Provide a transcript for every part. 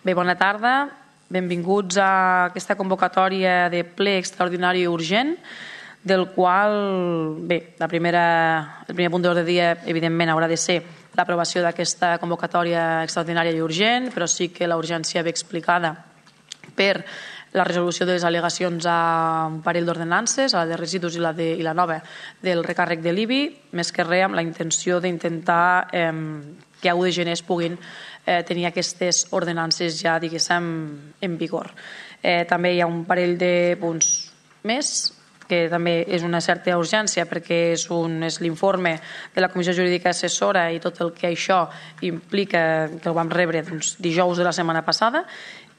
Bé, bona tarda. Benvinguts a aquesta convocatòria de ple extraordinari urgent, del qual, bé, el primer punt d'ordre del dia, evidentment, haurà de ser l'aprovació d'aquesta convocatòria extraordinària i urgent, però sí que la urgència ve explicada per la resolució de les al·legacions a un parell d'ordenances, a la de residus i la nova del recàrrec de l'IBI, més que res amb la intenció d'intentar que a 1 de gener es puguin tenir aquestes ordenances ja, diguéssim, en vigor. També hi ha un parell de punts més, que també és una certa urgència perquè és l'informe de la Comissió Jurídica Assessora i tot el que això implica, que el vam rebre dijous de la setmana passada,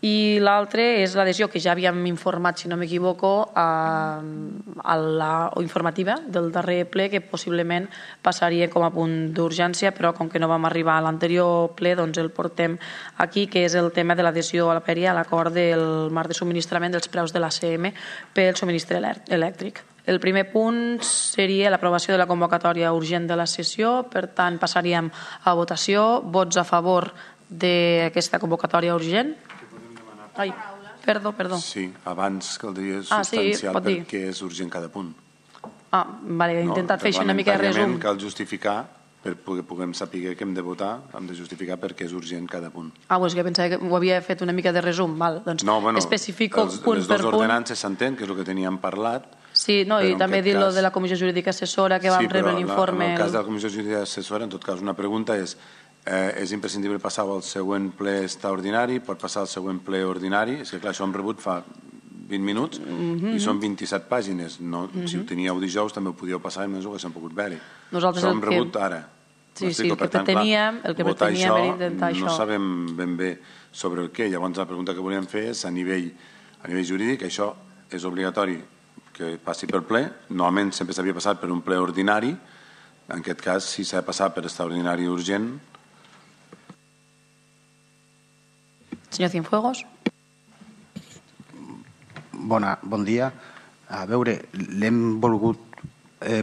i l'altre és l'adhesió que ja havíem informat, si no m'equivoco, a la informativa del darrer ple, que possiblement passaria com a punt d'urgència, però com que no vam arribar a l'anterior ple, doncs el portem aquí, que és el tema de l'adhesió a la PERI a l'acord del marc de subministrament dels preus de l'ACM pel subministrament elèctric. El primer punt seria l'aprovació de la convocatòria urgent de la sessió, per tant passaríem a votació. Vots a favor d'aquesta convocatòria urgent? Ai, perdó. Sí, abans caldria substancial perquè és urgent cada punt. Vale, he intentat fer una mica de resum. Cal justificar, perquè puguem saber que hem de votar, hem de justificar perquè és urgent cada punt. És que pensava que ho havia fet una mica de resum. Doncs especifico punt per punt. Les dues ordenances s'entén, que és el que teníem parlat. Sí, i també dir lo de la Comissió Jurídica Assessora, que vam rebre l'informe. En el cas de la Comissió Jurídica Assessora, en tot cas, una pregunta és imprescindible passar al següent ple extraordinari, pot passar al següent ple ordinari. És que clar, això hem rebut fa 20 minuts i són 27 pàgines. Si ho teníeu dijous també ho podíeu passar i més ho haguéssim pogut veure-hi. Això hem rebut ara. Sí, el que preteníem era intentar això. No sabem ben bé sobre el què. Llavors la pregunta que volíem fer és a nivell jurídic, això és obligatori que passi per ple. Normalment sempre s'havia passat per un ple ordinari. En aquest cas, si s'ha de passar per extraordinari urgent. Senyor Cienfuegos. Bon dia. A veure, l'hem volgut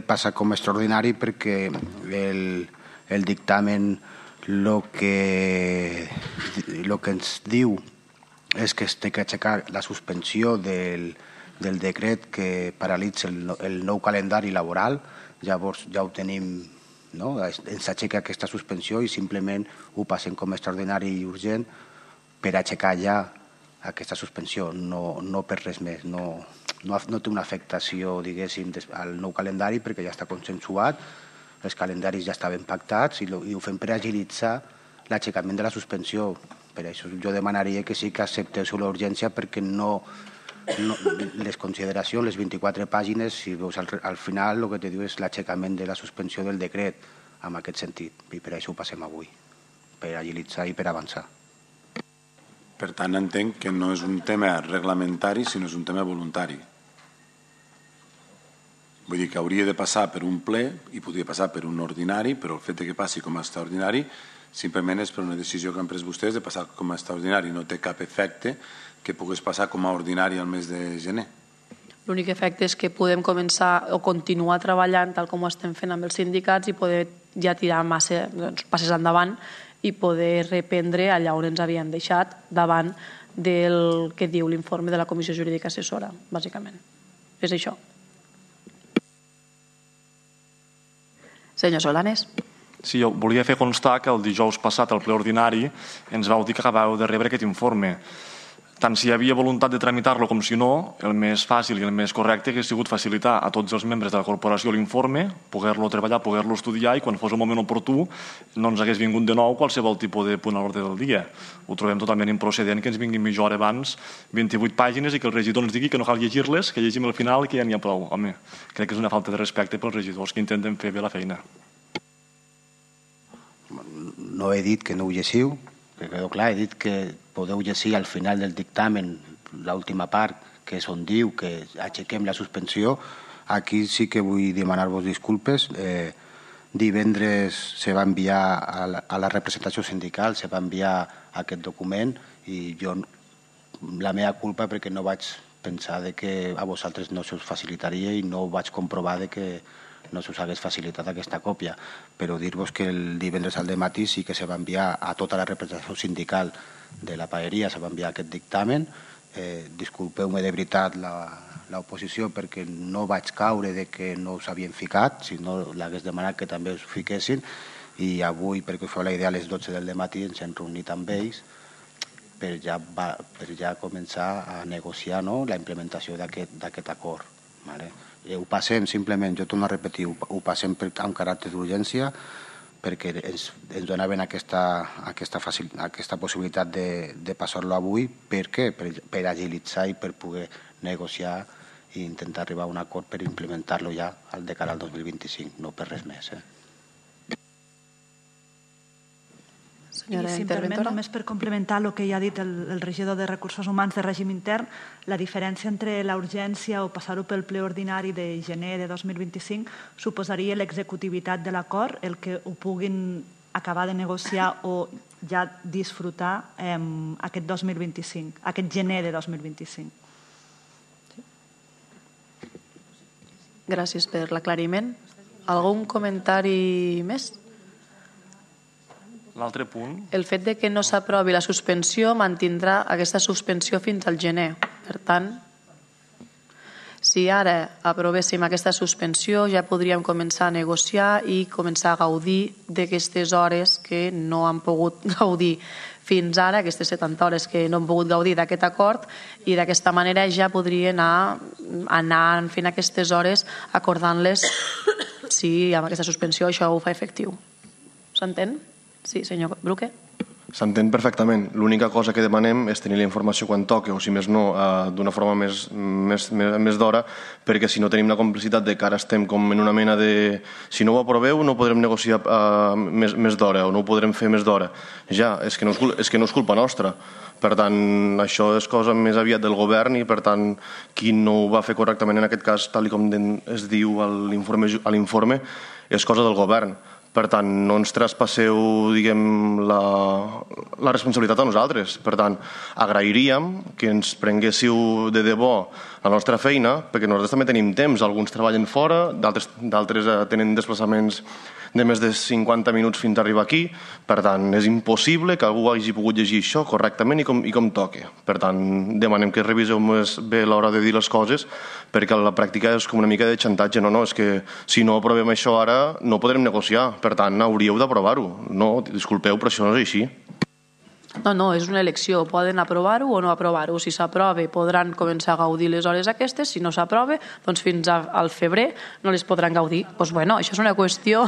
passar com a extraordinari perquè el dictamen el que ens diu és que es té que aixecar la suspensió del decret que paralitza el nou calendari laboral. Llavors ja ho tenim, ens aixeca aquesta suspensió i simplement ho passem com a extraordinari i urgent per aixecar ja aquesta suspensió, no per res més. No té una afectació, diguéssim, al nou calendari perquè ja està consensuat, els calendaris ja estaven pactats i ho fem per agilitzar l'aixecament de la suspensió. Per això jo demanaria que sí que acceptéssiu l'urgència perquè les consideracions, les 24 pàgines, si veus al final el que te diu és l'aixecament de la suspensió del decret en aquest sentit. I per això ho passem avui, per agilitzar i per avançar. Per tant, entenc que no és un tema reglamentari, sinó és un tema voluntari. Vull dir que hauria de passar per un ple i podria passar per un ordinari, però el fet que passi com a extraordinari simplement és per una decisió que han pres vostès de passar com a extraordinari. No té cap efecte que pogués passar com a ordinari al mes de gener. L'únic efecte és que podem començar o continuar treballant tal com ho estem fent amb els sindicats i poder ja tirar passes endavant i poder reprendre allà on ens havien deixat davant del que diu l'informe de la Comissió Jurídica Assessora, bàsicament. És això. Senyor Solanes. Sí, jo volia fer constar que el dijous passat al ple ordinari ens vau dir que acabàveu de rebre aquest informe. Tant si hi havia voluntat de tramitar-lo com si no, el més fàcil i el més correcte hauria sigut facilitar a tots els membres de la corporació l'informe, poder-lo treballar, poder-lo estudiar i quan fos el moment oportú no ens hagués vingut de nou qualsevol tipus de punt a l'ordre del dia. Ho trobem totalment improcedent que ens vinguin mitja hora abans 28 pàgines i que el regidor ens digui que no cal llegir-les, que llegim al final i que ja n'hi ha prou. Home, crec que és una falta de respecte pels regidors que intenten fer bé la feina. No he dit que no ho llegiu, que quedó clar, he dit que podeu llegir al final del dictamen l'última part, que és on diu que aixequem la suspensió. Aquí sí que vull demanar-vos disculpes. Divendres se va enviar a la representació sindical, se va enviar aquest document i jo la meva culpa perquè no vaig pensar que a vosaltres no se us facilitaria i no vaig comprovar que no se us hagués facilitat aquesta còpia, però dir-vos que el divendres al dematí sí que se va enviar a tota la representació sindical de la paeria se va enviar aquest dictamen. Disculpeu-me de veritat l'oposició perquè no vaig caure de que no us havien ficat, si no l'hagués demanat que també us fiquessin, i avui, perquè us feu la idea, a les 12 del matí ens hem reunit amb ells per ja començar a negociar la implementació d'aquest acord. Ho passem simplement, jo torno a repetir, ho passem amb caràcter d'urgència perquè ens donaven aquesta possibilitat de passar-lo avui. Per què? Per agilitzar i per poder negociar i intentar arribar a un acord per implementar-lo ja de cara al 2025, no per res més. I si em permet, només per complementar el que ja ha dit el regidor de Recursos Humans de Règim Intern, la diferència entre la urgència o passar-ho pel ple ordinari de gener de 2025 suposaria l'executivitat de l'acord, el que ho puguin acabar de negociar o ja disfrutar aquest 2025, aquest gener de 2025. Gràcies per l'aclariment. Algun comentari més? L'altre punt... El fet de que no s'aprovi la suspensió mantindrà aquesta suspensió fins al gener. Per tant, si ara aprovéssim aquesta suspensió ja podríem començar a negociar i començar a gaudir d'aquestes hores que no han pogut gaudir fins ara, aquestes 70 hores que no han pogut gaudir d'aquest acord, i d'aquesta manera ja podria anar fent aquestes hores acordant-les si amb aquesta suspensió això ho fa efectiu. S'entén? Sí, senyor Bruque. S'entén perfectament. L'única cosa que demanem és tenir la informació quan toque, o si més no, d'una forma més d'hora, perquè si no tenim la complicitat de que ara estem com en una mena de... Si no ho aproveu no podrem negociar més d'hora o no ho podrem fer més d'hora. Ja, és que no és culpa nostra. Per tant, això és cosa més aviat del govern i, per tant, qui no ho va fer correctament en aquest cas, tal com es diu a l'informe, és cosa del govern. Per tant, no ens traspasseu, diguem, la responsabilitat a nosaltres. Per tant, agrairíem que ens prenguéssiu de debò la nostra feina, perquè nosaltres també tenim temps. Alguns treballen fora, d'altres tenen desplaçaments de més de 50 minuts fins a arribar aquí. Per tant, és impossible que algú hagi pogut llegir això correctament i com toque. Per tant, demanem que reviseu més bé a l'hora de dir les coses, perquè la pràctica és com una mica de xantatge. No, és que si no aprovem això ara no podrem negociar. Per tant, hauríeu d'aprovar-ho. No, disculpeu, però això no és així. No, és una elecció. Poden aprovar-ho o no aprovar-ho. Si s'aprova podran començar a gaudir les hores aquestes. Si no s'aprova, doncs fins al febrer no les podran gaudir. Doncs bueno, això és una qüestió.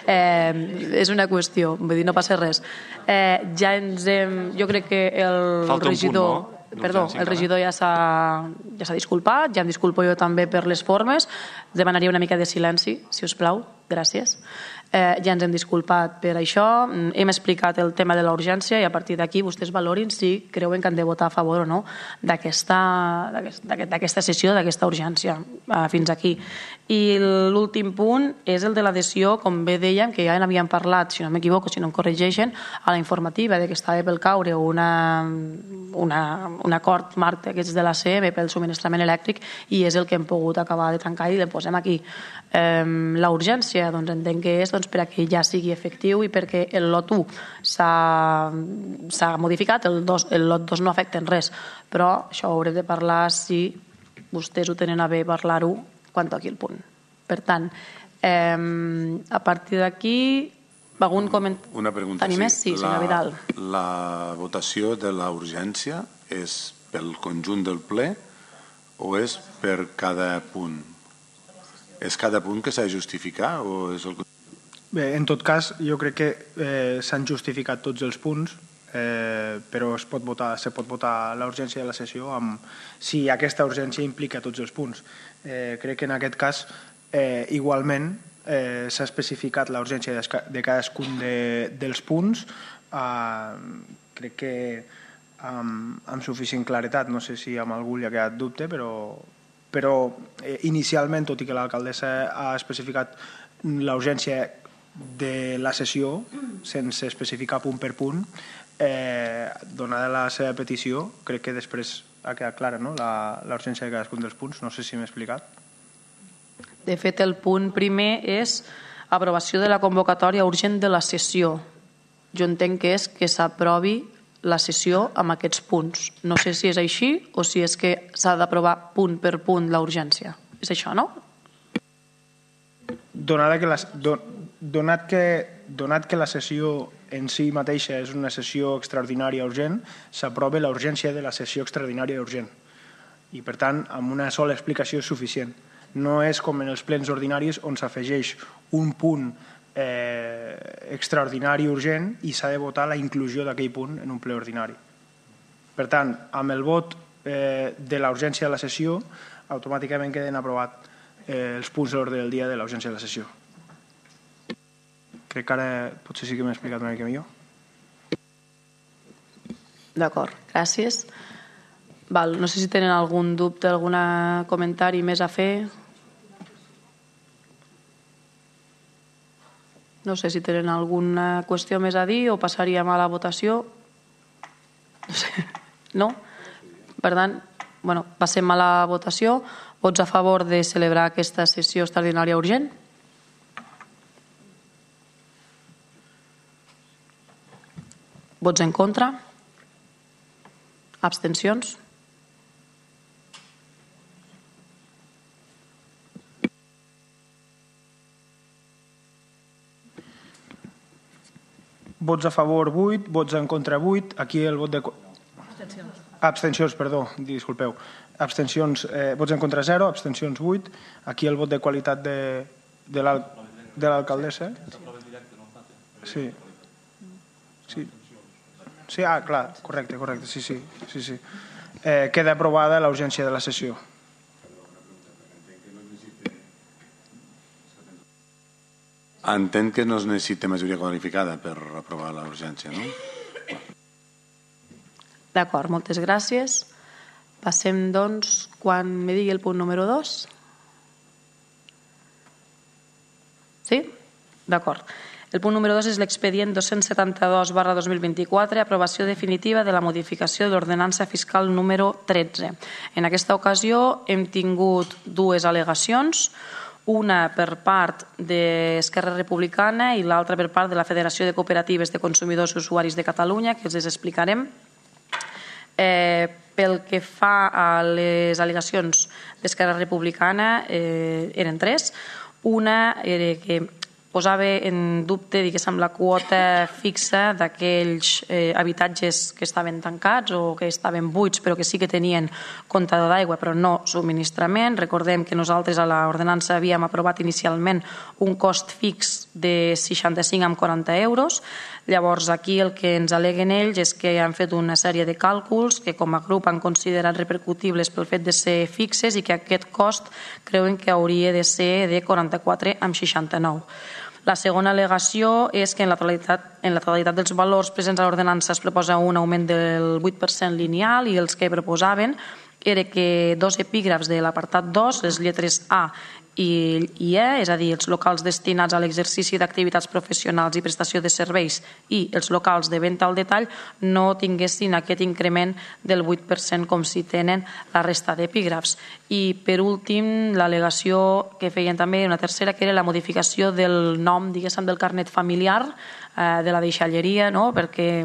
És una qüestió. Vull dir, no passa res. Jo crec que el regidor... Perdó, el regidor ja s'ha disculpat, ja em disculpo jo també per les formes. Demanaria una mica de silenci, si us plau. Gràcies. Ja ens hem disculpat per això, hem explicat el tema de la urgència i a partir d'aquí vostès valorin si creuen que han de votar a favor o no d'aquesta sessió, d'aquesta urgència fins aquí. I l'últim punt és el de l'adhesió, com bé dèiem, que ja n'havíem parlat, si no m'equivoco, si no em corregeixen, a la informativa de que estava pel caure un acord marc d'aquests de l'ACM pel subministrament elèctric i és el que hem pogut acabar de tancar i el posem aquí. La urgència, doncs entenc que és perquè ja sigui efectiu i perquè el lot 1 s'ha modificat, el lot 2 no afecta en res, però això ho haurem de parlar si vostès ho tenen a bé parlar-ho quan toqui el punt. Per tant, a partir d'aquí algun comentari? Una pregunta. Sí, senyor Vidal. La votació de la urgència és pel conjunt del ple o és per cada punt? És cada punt que s'ha de justificar o és el... Bé, en tot cas, jo crec que s'han justificat tots els punts, però se pot votar la urgència de la sessió si aquesta urgència implica tots els punts. Crec que en aquest cas, igualment, s'ha especificat la urgència de cadascun dels punts. Crec que amb suficient claretat, no sé si amb algú li ha quedat dubte, però inicialment, tot i que l'alcaldessa ha especificat la urgència de la sessió, sense especificar punt per punt, donada la seva petició, crec que després ha quedat clara, no?, la urgència de cadascun dels punts. No sé si m'he explicat. De fet, el punt primer és aprovació de la convocatòria urgent de la sessió. Jo entenc que és que s'aprovi la sessió amb aquests punts. No sé si és així o si és que s'ha d'aprovar punt per punt la urgència. És això, no? Donat que la sessió en si mateixa és una sessió extraordinària urgent, s'aprova la urgència de la sessió extraordinària urgent. I, per tant, amb una sola explicació és suficient. No és com en els plens ordinaris on s'afegeix un punt extraordinari urgent i s'ha de votar la inclusió d'aquell punt en un ple ordinari. Per tant, amb el vot de la urgència de la sessió, automàticament queden aprovats els punts d'ordre del dia de la urgència de la sessió. Crec que ara potser sí que m'he explicat una mica millor. D'acord, gràcies. No sé si tenen algun dubte, algun comentari més a fer. No sé si tenen alguna qüestió més a dir o passaríem a la votació. No sé. No? Per tant, passem a la votació. Vots a favor de celebrar aquesta sessió extraordinària urgent? Vots en contra? Abstencions? Vots a favor 8, vots en contra 8. Aquí el vot de... Abstencions, perdó, disculpeu. Abstencions, vots en contra 0, abstencions 8. Aquí el vot de qualitat de l'alcaldessa. Sí. Sí, clar, correcte, sí. Queda aprovada la urgència de la sessió. Entenc que no es necessita majoria qualificada per aprovar la urgència, no? D'acord, moltes gràcies. Passem, doncs, quan me digui el punt número 2. Sí? D'acord. El punt número 2 és l'expedient 272/2024, aprovació definitiva de la modificació de l'ordenança fiscal número 13. En aquesta ocasió hem tingut dues al·legacions, una per part d'Esquerra Republicana i l'altra per part de la Federació de Cooperatives de Consumidors i Usuaris de Catalunya, que els explicarem. Pel que fa a les al·legacions d'Esquerra Republicana, eren tres. Una era que posava en dubte, diguéssim, la quota fixa d'aquells habitatges que estaven tancats o que estaven buits però que sí que tenien comptador d'aigua però no subministrament. Recordem que nosaltres a l'ordenança havíem aprovat inicialment un cost fix de 65,40 euros. Llavors aquí el que ens al·leguen ells és que han fet una sèrie de càlculs que com a grup han considerat repercutibles pel fet de ser fixes i que aquest cost creuen que hauria de ser de 44,69. La segona al·legació és que en la totalitat dels valors presents a l'ordenança es proposa un augment del 8% lineal i els que proposaven era que dos epígrafs de l'apartat 2, les lletres A i E, és a dir, els locals destinats a l'exercici d'activitats professionals i prestació de serveis i els locals de venda al detall no tinguessin aquest increment del 8% com si tenen la resta d'epígrafs. I per últim, l'al·legació que feien també, una tercera, que era la modificació del nom, diguéssim, del carnet familiar de la deixalleria, no? Perquè,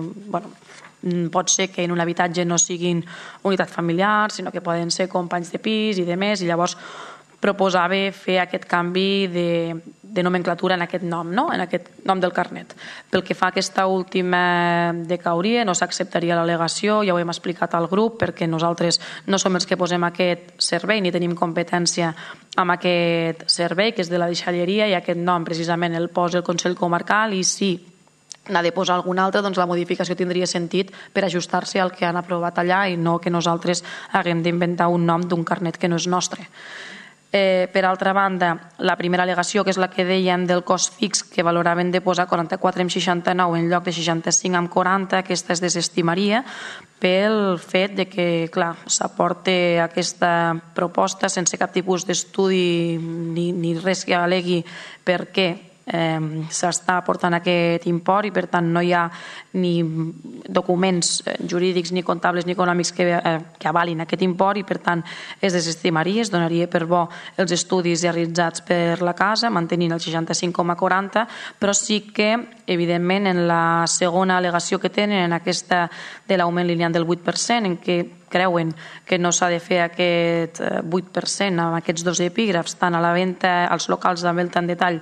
pot ser que en un habitatge no siguin unitat familiar, sinó que poden ser companys de pis i de més, i llavors proposava fer aquest canvi de nomenclatura en aquest nom, no? En aquest nom del carnet. Pel que fa a aquesta última de cauria, no s'acceptaria l'al·legació, ja ho hem explicat al grup, perquè nosaltres no som els que posem aquest servei ni tenim competència amb aquest servei, que és de la deixalleria, i aquest nom precisament el posa el Consell Comarcal, i si n'ha de posar algun altre, doncs la modificació tindria sentit per ajustar-se al que han aprovat allà i no que nosaltres haguem d'inventar un nom d'un carnet que no és nostre. Per altra banda, la primera al·legació, que és la que dèiem del cost fix, que valoraven de posar 44,69 en lloc de 65,40, aquesta es desestimaria pel fet de que, clar, s'aporta aquesta proposta sense cap tipus d'estudi ni res que alegui per què s'està aportant aquest import i per tant no hi ha ni documents jurídics ni comptables ni econòmics que avalin aquest import i per tant es desestimaria, es donaria per bo els estudis realitzats per la casa mantenint el 65,40, però sí que evidentment en la segona al·legació que tenen en aquesta de l'augment lineal del 8% en què creuen que no s'ha de fer aquest 8% amb aquests dos epígrafs tant a la venda als locals de venda en detall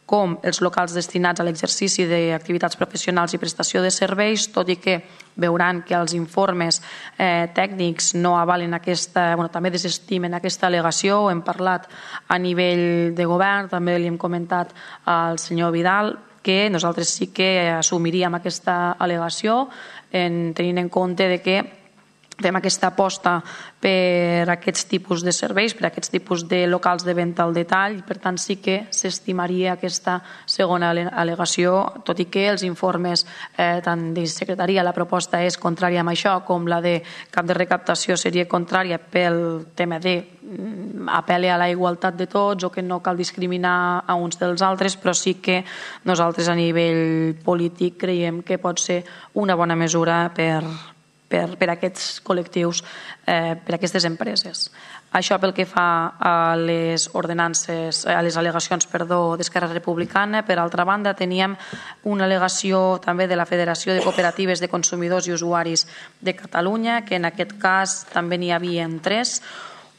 com els locals destinats a l'exercici d'activitats professionals i prestació de serveis, tot i que veuran que els informes tècnics no avalen aquesta, també desestimen aquesta al·legació, ho hem parlat a nivell de govern, també li hem comentat al senyor Vidal, que nosaltres sí que assumiríem aquesta al·legació tenint en compte de que fem aquesta aposta per aquests tipus de serveis, per aquests tipus de locals de venda al detall i per tant sí que s'estimaria aquesta segona al·legació, tot i que els informes tant de secretaria, la proposta és contrària amb això, com la de cap de recaptació seria contrària pel tema de apel·le a la igualtat de tots o que no cal discriminar a uns dels altres, però sí que nosaltres a nivell polític creiem que pot ser una bona mesura per aquests col·lectius, per aquestes empreses. Això pel que fa a les ordenances, a les al·legacions d'Esquerra Republicana. Per altra banda, teníem una al·legació també de la Federació de Cooperatives de Consumidors i Usuaris de Catalunya, que en aquest cas també n'hi havia tres.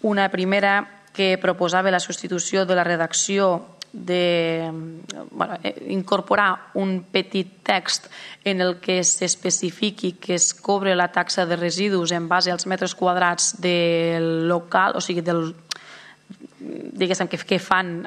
Una primera que proposava la substitució de la redacció incorporar un petit text en el que s'especifiqui que es cobre la taxa de residus en base als metres quadrats del local, o sigui, diguéssim que fan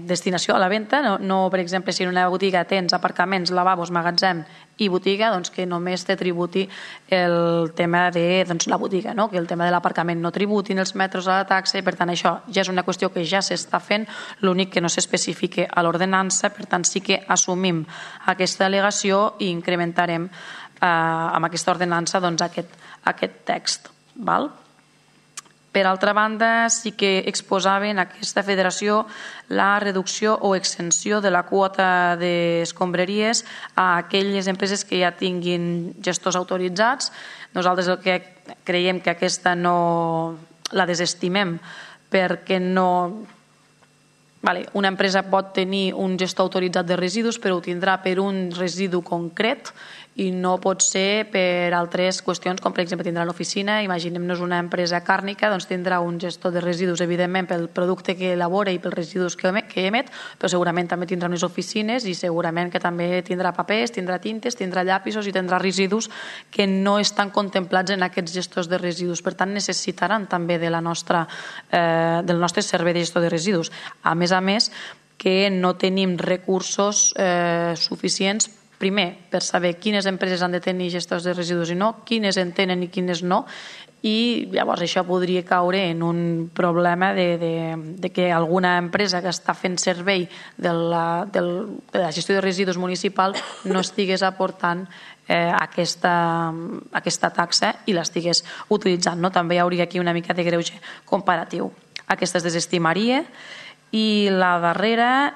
destinació a la venda, no per exemple si en una botiga tens aparcaments, lavabos, magatzem i botiga, doncs que només te tributi el tema de la botiga, que el tema de l'aparcament no tributin els metres a la taxa i per tant això ja és una qüestió que ja s'està fent, l'únic que no s'especifica a l'ordenança, per tant sí que assumim aquesta al·legació i incrementarem amb aquesta ordenança aquest text. Per altra banda, sí que exposaven aquesta federació la reducció o exenció de la quota d'escombraries a aquelles empreses que ja tinguin gestors autoritzats. Nosaltres el que creiem que aquesta no la desestimem perquè no... Una empresa pot tenir un gestor autoritzat de residus, però ho tindrà per un residu concret i no pot ser per altres qüestions, com per exemple tindrà l'oficina, imaginem-nos una empresa càrnica, doncs tindrà un gestor de residus, evidentment, pel producte que elabora i pels residus que emet, però segurament també tindrà unes oficines i segurament que també tindrà papers, tindrà tintes, tindrà llapisos i tindrà residus que no estan contemplats en aquests gestors de residus. Per tant, necessitaran també del nostre servei de gestió de residus. A més, que no tenim recursos suficients primer, per saber quines empreses han de tenir gestors de residus i no, quines en tenen i quines no, i llavors això podria caure en un problema de que alguna empresa que està fent servei de la gestió de residus municipal no estigués aportant aquesta taxa i l'estigués utilitzant. També hi hauria aquí una mica de greuge comparatiu. Aquesta es desestimaria. I la darrera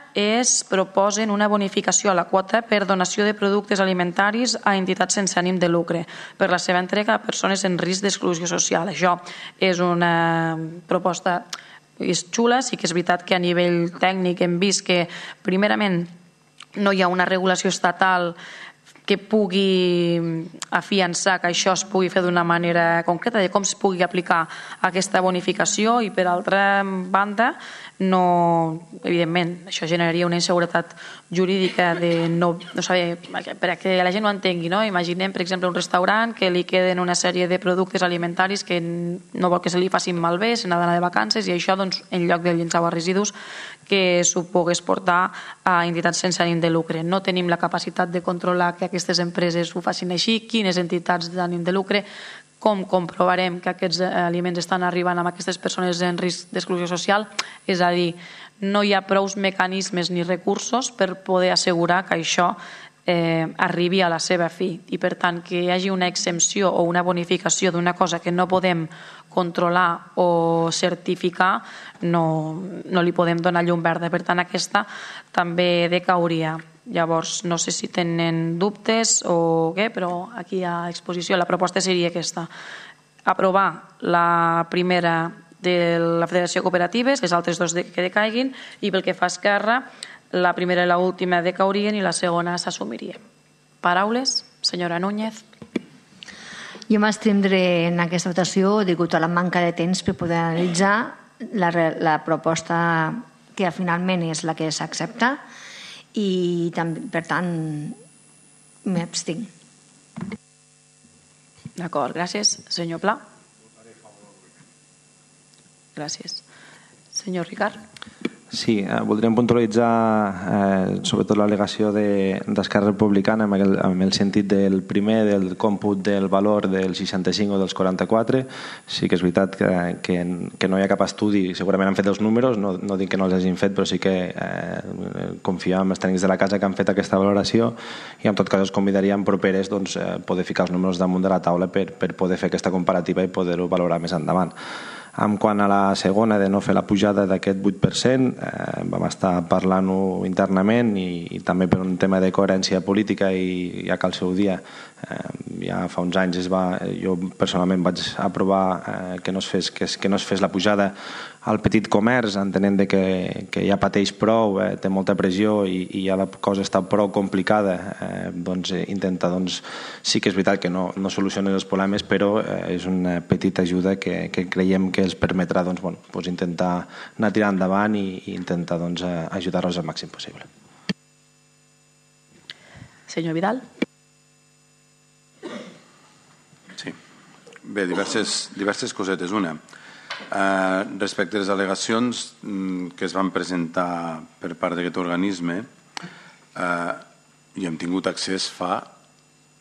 proposen una bonificació a la quota per donació de productes alimentaris a entitats sense ànim de lucre per la seva entrega a persones en risc d'exclusió social. Això és una proposta xula, sí que és veritat que a nivell tècnic hem vist que primerament no hi ha una regulació estatal que pugui afiançar que això es pugui fer d'una manera concreta, de com es pugui aplicar aquesta bonificació i per altra banda, evidentment, això generaria una inseguretat jurídica de no saber, perquè la gent ho entengui, imaginem, per exemple, un restaurant que li queden una sèrie de productes alimentaris que no vol que se li facin malbé, se n'ha d'anar de vacances i això, en lloc de llençar residus, que s'ho pogués portar a entitats sense ànim de lucre. No tenim la capacitat de controlar que aquestes empreses ho facin així, quines entitats d'ànim de lucre, com comprovarem que aquests aliments estan arribant a aquestes persones en risc d'exclusió social, és a dir, no hi ha prous mecanismes ni recursos per poder assegurar que això arribi a la seva fi, i per tant que hi hagi una exempció o una bonificació d'una cosa que no podem controlar o certificar no li podem donar llum verda, per tant aquesta també decauria. Llavors no sé si tenen dubtes o què, però aquí a exposició la proposta seria aquesta: aprovar la primera de la Federació de Cooperatives, les altres dos que decaiguin, i pel que fa a Esquerra, la primera i l'última decaurien i la segona s'assumiria. Paraules? Senyora Núñez. Jo m'abstindré en aquesta votació degut a la manca de temps per poder analitzar la proposta que finalment és la que s'accepta i per tant m'abstinc. D'acord, gràcies. Senyor Pla. Gràcies. Senyor Ricard. Sí, voldríem puntualitzar sobretot l'al·legació d'Esquerra Republicana amb el sentit del primer, del còmput del valor del 65 o dels 44. Sí que és veritat que no hi ha cap estudi, segurament han fet els números, no dic que no els hagin fet, però sí que confiem en els tècnics de la casa que han fet aquesta valoració, i en tot cas els convidaríem properes poder ficar els números damunt de la taula per poder fer aquesta comparativa i poder-ho valorar més endavant. En quant a la segona, de no fer la pujada d'aquest 8%, vam estar parlant-ho internament i també per un tema de coherència política, i ja que al seu dia, ja fa uns anys, jo personalment vaig aprovar que no es fes la pujada al petit comerç, entenent que ja pateix prou, té molta pressió i ja la cosa està prou complicada, intenta, sí que és veritat que no soluciona els problemes, però és una petita ajuda que creiem que els permetrà intentar anar tirant endavant i intentar ajudar-los al màxim possible. Senyor Vidal. Sí. Bé, diverses cosetes. Una, respecte a les al·legacions que es van presentar per part d'aquest organisme, hi hem tingut accés fa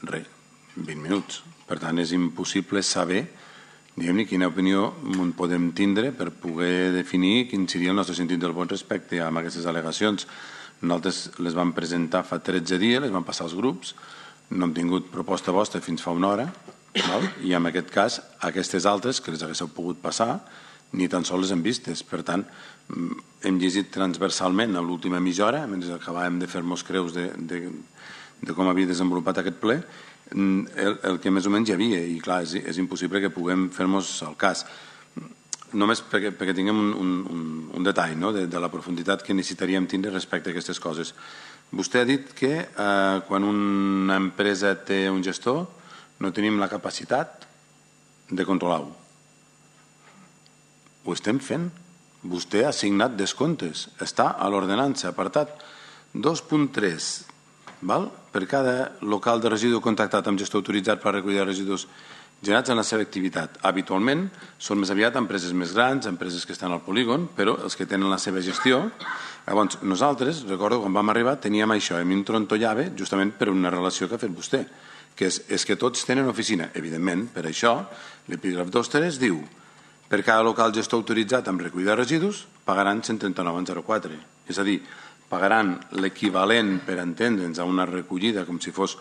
20 minuts. Per tant, és impossible saber quina opinió en podem tindre per poder definir quin seria el nostre sentit del vot respecte a aquestes al·legacions. Nosaltres les vam presentar fa 13 dies, les vam passar als grups, no hem tingut proposta vostra fins fa una hora, i en aquest cas aquestes altres que les haguéssiu pogut passar ni tan sols les hem vistes. Per tant, hem llegit transversalment a l'última mitja hora, mentre acabàvem de fer-nos creus de com havia desenvolupat aquest ple, el que més o menys hi havia, i clar, és impossible que puguem fer-nos el cas. Només perquè tinguem un detall de la profunditat que necessitaríem tindre respecte a aquestes coses. Vostè ha dit que quan una empresa té un gestor no tenim la capacitat de controlar-ho. Ho estem fent. Vostè ha assignat descomptes. Està a l'ordenança, apartat 2.3. Per cada local de residu contractat amb gestor autoritzat per recollir residus generats en la seva activitat. Habitualment són més aviat empreses més grans, empreses que estan al polígon, però els que tenen la seva gestió. Llavors, nosaltres, recordo, quan vam arribar, teníem això, a mi em trontollava justament per una relació que ha fet vostè, que és que tots tenen oficina. Evidentment, per això, l'epígraf 2.3 diu: per cada local gestor autoritzat amb recollida de residus pagaran 139,04. És a dir, pagaran l'equivalent, per entendre'ns, a una recollida, com si fos,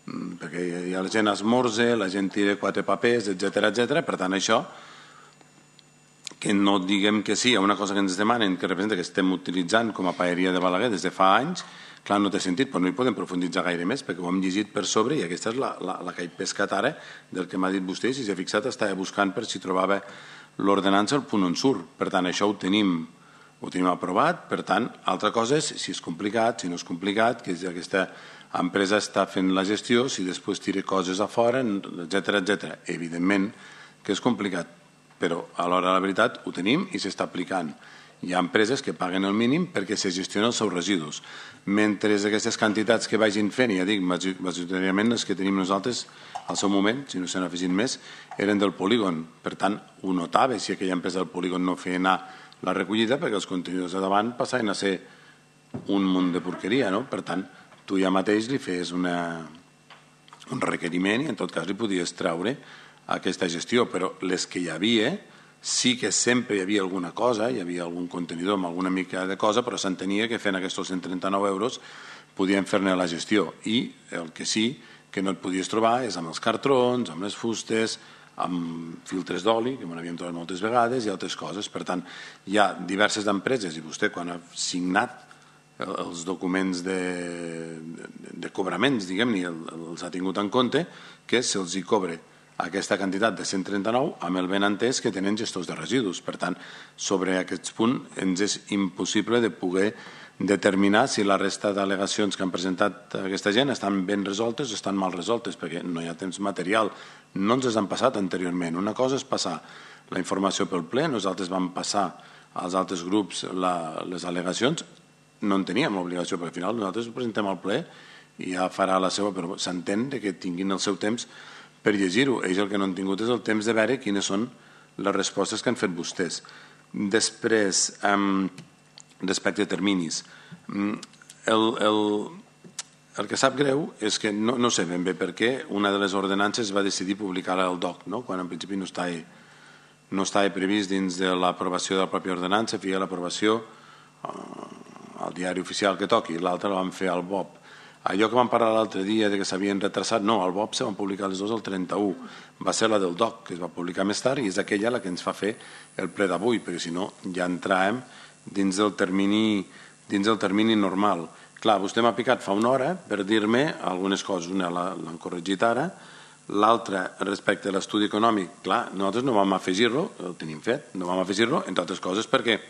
perquè la gent esmorza, la gent tira 4 papers, etc. Per tant, això, que no diguem que sí a una cosa que ens demanen, que representa que estem utilitzant com a paeria de Balaguer des de fa anys, clar, no té sentit, però no hi podem profunditzar gaire més, perquè ho hem llegit per sobre i aquesta és la que he pescat ara del que m'ha dit vostè. Si s'ha fixat, estava buscant per si trobava l'ordenança al punt on surt. Per tant, això ho tenim aprovat. Per tant, altra cosa és si és complicat, si no és complicat, que aquesta empresa està fent la gestió, si després tira coses a fora, etc. Evidentment que és complicat, però a l'hora de la veritat ho tenim i s'està aplicant. Hi ha empreses que paguen el mínim perquè se gestionen els seus residus. Mentre aquestes quantitats que vagin fent, ja dic, majoritàriament les que tenim nosaltres al seu moment, si no se n'ha afegit més, eren del polígon. Per tant, ho notava si aquella empresa del polígon no feia anar la recollida, perquè els contenidors de davant passaven a ser un munt de porqueria, no? Per tant, tu ja mateix li feies un requeriment i en tot cas li podies treure aquesta gestió, però les que hi havia sí que sempre hi havia alguna cosa, hi havia algun contenidor amb alguna mica de cosa, però s'entenia que fent aquests 139 euros podien fer-ne la gestió. I el que sí que no et podies trobar és amb els cartrons, amb les fustes, amb filtres d'oli, que m'ho havíem trobat moltes vegades, i altres coses. Per tant, hi ha diverses empreses, i vostè quan ha signat els documents de cobraments, diguem-ne, els ha tingut en compte, que se'ls hi cobre aquesta quantitat de 139 amb el benentès que tenen gestors de residus. Per tant, sobre aquest punt ens és impossible de poder determinar si la resta d'al·legacions que han presentat aquesta gent estan ben resoltes o estan mal resoltes, perquè no hi ha temps material. No ens les han passat anteriorment. Una cosa és passar la informació pel ple, nosaltres vam passar als altres grups les al·legacions, no en teníem l'obligació, perquè al final nosaltres ho presentem al ple i ja farà la seva, però s'entén que tinguin el seu temps per llegir-ho. Ells el que no han tingut és el temps de veure quines són les respostes que han fet vostès. Després, respecte a terminis, el que sap greu és que no sé ben bé per què una de les ordenances va decidir publicar-la al DOC, quan en principi no estava previst dins de l'aprovació de la pròpia ordenança, feia l'aprovació al diari oficial que toqui, l'altre la van fer al BOP. Allò que vam parlar l'altre dia de que s'havien retrasat, no, al BOP se van publicar les dues el 31, va ser la del DOC, que es va publicar més tard, i és aquella la que ens fa fer el ple d'avui, perquè si no ja entràvem dins del termini normal. Clar, vostè m'ha picat fa una hora per dir-me algunes coses. Una l'han corregit ara, l'altra respecte a l'estudi econòmic. Clar, nosaltres no vam afegir-lo, el tenim fet, no vam afegir-lo, entre altres coses perquè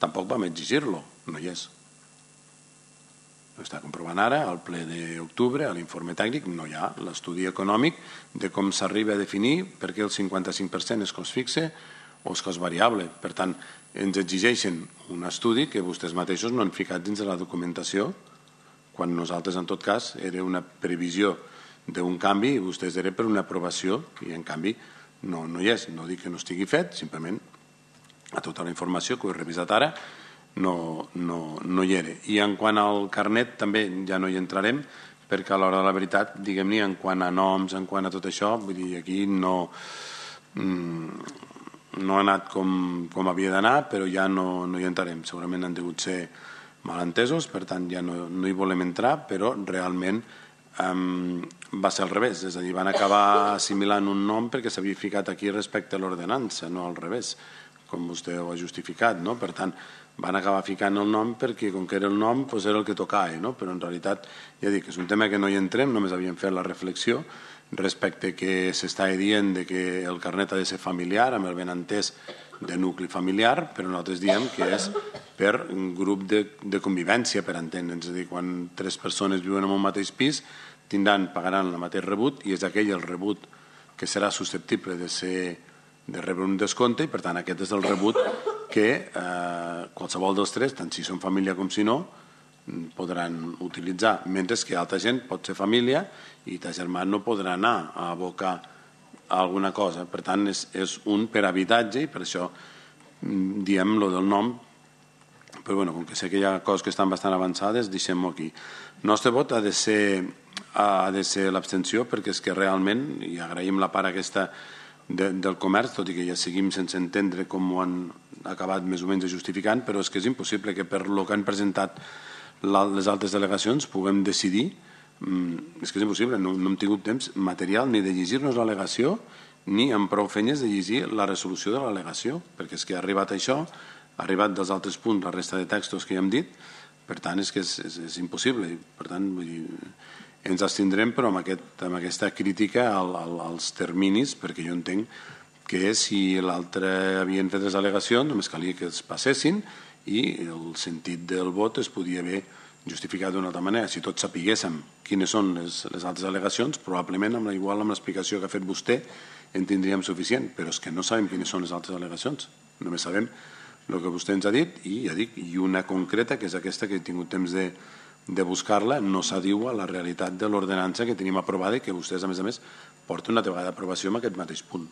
tampoc vam exigir-lo, no hi és. Ho està comprovant ara, al ple d'octubre, a l'informe tècnic, no hi ha l'estudi econòmic de com s'arriba a definir per què el 55% és cost fixe o és cost variable. Per tant, ens exigeixen un estudi que vostès mateixos no han ficat dins de la documentació, quan nosaltres, en tot cas, era una previsió d'un canvi i vostès era per una aprovació i, en canvi, no hi és. No dic que no estigui fet, simplement a tota la informació que ho he revisat ara no hi era. I en quant al carnet també ja no hi entrarem, perquè a l'hora de la veritat, diguem-ne, en quant a noms, en quant a tot això, vull dir, aquí no ha anat com havia d'anar, però ja no hi entrarem. Segurament han degut ser malentesos, per tant ja no hi volem entrar, però realment va ser al revés, és a dir, van acabar assimilant un nom perquè s'havia ficat aquí respecte a l'ordenança, no al revés, com vostè ho ha justificat, no? Per tant, van acabar ficant el nom perquè com que era el nom doncs era el que tocava, no? Però en realitat, ja dic, és un tema que no hi entrem, només havíem fet la reflexió respecte que s'estava dient que el carnet ha de ser familiar, amb el benentès de nucli familiar, però nosaltres diem que és per un grup de convivència, per entendre'ns. És a dir, quan 3 persones viuen en un mateix pis, pagaran el mateix rebut i és aquell el rebut que serà susceptible de rebre un descompte i, per tant, aquest és el rebut que qualsevol dels 3, tant si són família com si no, podran utilitzar, mentre que altra gent pot ser família i ta germà no podrà anar a abocar alguna cosa. Per tant, és un per habitatge i per això diem lo del nom, però bueno, com que sé que hi ha coses que estan bastant avançades, deixem-ho aquí. El nostre vot ha de ser l'abstenció perquè és que realment, i agraïm la part aquesta del comerç, tot i que ja seguim sense entendre com ho han acabat més o menys justificant, però és que és impossible que per lo que han presentat les altres delegacions puguem decidir. És que és impossible, no hem tingut temps material ni de llegir-nos l'al·legació ni amb prou feines de llegir la resolució de l'al·legació, perquè és que ha arribat això, ha arribat dels altres punts la resta de textos que ja hem dit, per tant és que és impossible. Per tant, vull dir, ens abstindrem però amb aquesta crítica als terminis, perquè jo entenc que si l'altre havien fet les al·legacions només calia que es passessin i el sentit del vot es podia haver justificat d'una altra manera. Si tots sapiguéssim quines són les altres al·legacions, probablement igual amb l'explicació que ha fet vostè en tindríem suficient, però és que no sabem quines són les altres al·legacions, només sabem el que vostè ens ha dit i ja dic, i una concreta que és aquesta que he tingut temps de buscar-la, no s'adiu a la realitat de l'ordenança que tenim aprovada i que vostès a més porten una vegada d'aprovació en aquest mateix punt.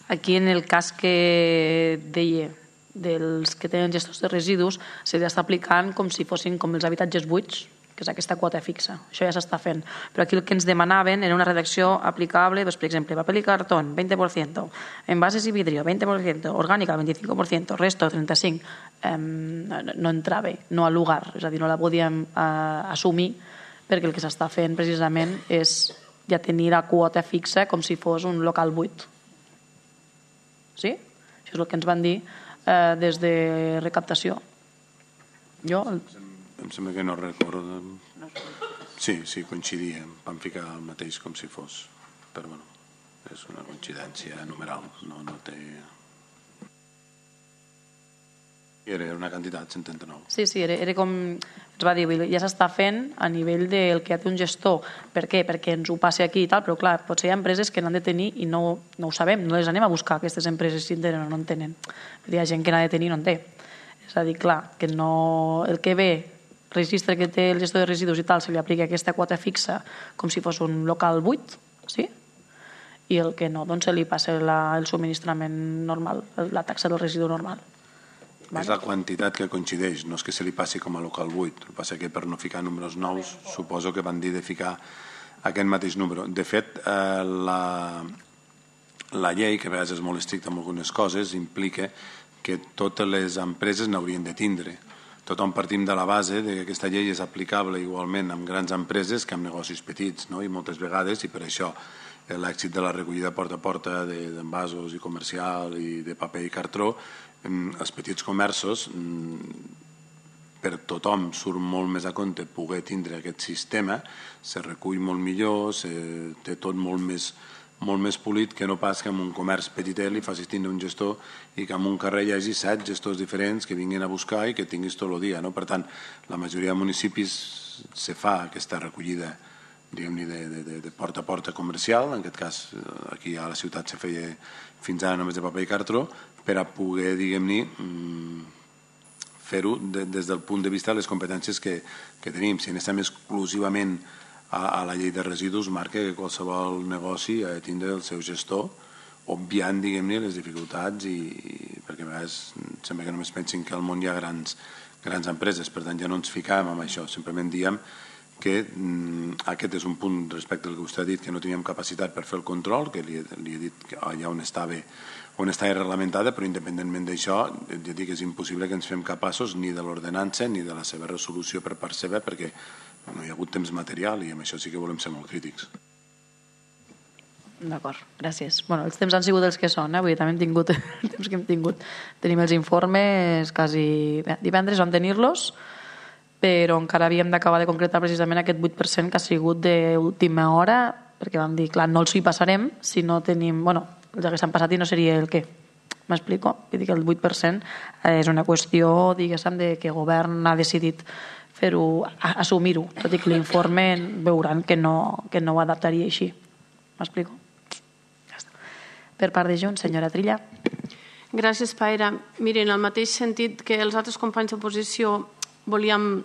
Aquí en el cas que deia dels que tenen gestors de residus s'està aplicant com si fossin com els habitatges buits, que és aquesta quota fixa. Això ja s'està fent. Però aquí el que ens demanaven era una redacció aplicable, per exemple, paper i cartó, 20%, envases i vidrio, 20%, orgànica, 25%, resto, 35%. No entrava, no al lugar, és a dir, no la podíem assumir, perquè el que s'està fent precisament és ja tenir la quota fixa com si fos un local buit. Sí? Això és el que ens van dir des de recaptació. Em sembla que no recordo. Sí, coincidíem. Vam ficar el mateix com si fos. Però bueno, és una coincidència numeral. No té... Era una quantitat, 139. Sí, era com ens va dir, ja s'està fent a nivell del que ha de un gestor. Per què? Perquè ens ho passi aquí i tal, però clar, potser hi ha empreses que n'han de tenir i no ho sabem, no les anem a buscar, aquestes empreses, si en tenen o no en tenen. Hi ha gent que n'ha de tenir i no en té. És a dir, clar, que no... El que ve, registre que té el gestor de residus i tal, se li aplica aquesta quota fixa com si fos un local buit, sí? I el que no, doncs se li passa el subministrament normal, la taxa del residu normal. És la quantitat que coincideix, no és que se li passi com a local buit. El que passa que per no ficar números nous suposo que van dir de ficar aquest mateix número. De fet, la llei, que a vegades és molt estricta en algunes coses, implica que totes les empreses n'haurien de tindre. Tothom partim de la base que aquesta llei és aplicable igualment amb grans empreses que amb negocis petits, no? I moltes vegades, i per això l'èxit de la recollida porta a porta d'envasos i comercial i de paper i cartró, els petits comerços, per tothom surt molt més a compte poder tindre aquest sistema, se recull molt millor, té tot molt més polit que no pas que en un comerç petitet li facis tindre un gestor i que en un carrer hi hagi 7 gestors diferents que vinguin a buscar i que tinguis tot el dia. Per tant, la majoria de municipis se fa aquesta recollida diguem-ne de porta a porta comercial, en aquest cas aquí a la ciutat se feia fins ara només de paper i cartró, per a poder, diguem-ne, fer-ho des del punt de vista de les competències que tenim. Si anem exclusivament a la llei de residus, marca que qualsevol negoci ha de tindre el seu gestor, obviant, diguem-ne, les dificultats, perquè a vegades sembla que només pensin que al món hi ha grans empreses, per tant ja no ens ficàvem amb això, simplement diem que aquest és un punt respecte al que vostè ha dit, que no teníem capacitat per fer el control, que li he dit que allà on estava reglamentada, però independentment d'això, ja dic que és impossible que ens fem capaços ni de l'ordenança ni de la seva resolució per part seva, perquè no hi ha hagut temps material i amb això sí que volem ser molt crítics. D'acord, gràcies. Els temps han sigut els que són, avui també hem tingut el temps que hem tingut. Tenim els informes quasi... Divendres vam tenir-los, però encara havíem d'acabar de concretar precisament aquest 8% que ha sigut d'última hora, perquè vam dir, clar, no els hi passarem si no tenim... els que s'han passat i no seria el què. M'explico? Vull dir que el 8% és una qüestió, diguéssim, de que el govern ha decidit fer-ho, assumir-ho, tot i que l'informe veuran que no ho adaptaria així. M'explico? Ja està. Per part de Junts, senyora Trilla. Gràcies, Paira. Miren, en el mateix sentit que els altres companys d'oposició volíem,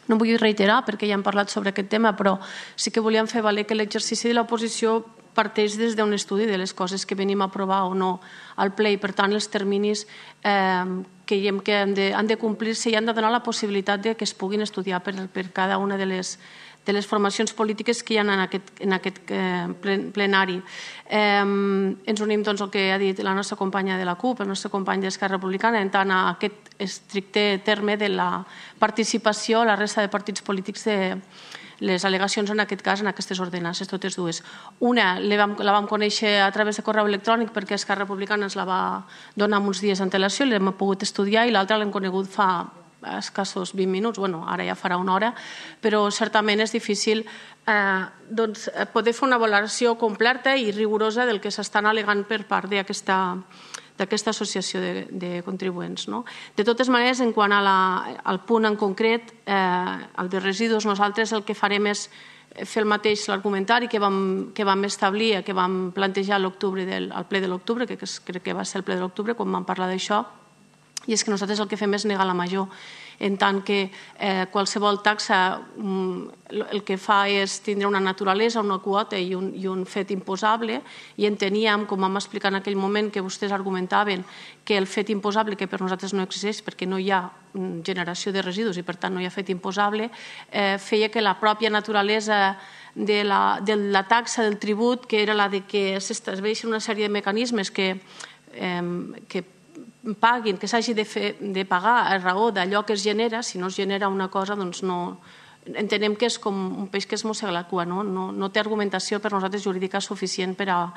no vull reiterar perquè ja hem parlat sobre aquest tema, però sí que volíem fer valer que l'exercici de l'oposició parteix des d'un estudi de les coses que venim a aprovar o no al ple i per tant els terminis creiem que han de complir-se i han de donar la possibilitat que es puguin estudiar per cada una de les formacions polítiques que hi ha en aquest plenari. Ens unim doncs al que ha dit la nostra companya de la CUP, el nostre company d'Esquerra Republicana, en tant a aquest estricte terme de la participació a la resta de partits polítics de les al·legacions en aquest cas, en aquestes ordenances, totes dues. Una la vam conèixer a través de correu electrònic perquè Esquerra Republicana ens la va donar uns dies d'antelació i l'hem pogut estudiar i l'altra l'hem conegut fa escassos 20 minuts, ara ja farà una hora, però certament és difícil poder fer una valoració completa i rigorosa del que s'estan al·legant per part d'aquesta associació de contribuents. De totes maneres, en quant al punt en concret, el de residus, nosaltres el que farem és fer el mateix l'argumentari que vam establir, que vam plantejar al ple de l'octubre, que crec que va ser el ple de l'octubre quan vam parlar d'això, i és que nosaltres el que fem és negar la major en tant que qualsevol taxa el que fa és tindre una naturalesa, una quota i un fet imposable, i enteníem, com vam explicar en aquell moment que vostès argumentaven, que el fet imposable, que per nosaltres no existeix perquè no hi ha generació de residus i per tant no hi ha fet imposable, feia que la pròpia naturalesa de la taxa del tribut, que era la de que s'estableixen una sèrie de mecanismes que paguin, que s'hagi de pagar a raó d'allò que es genera. Si no es genera una cosa, doncs no... Entenem que és com un peix que es mossega la cua, no té argumentació per nosaltres jurídica suficient per a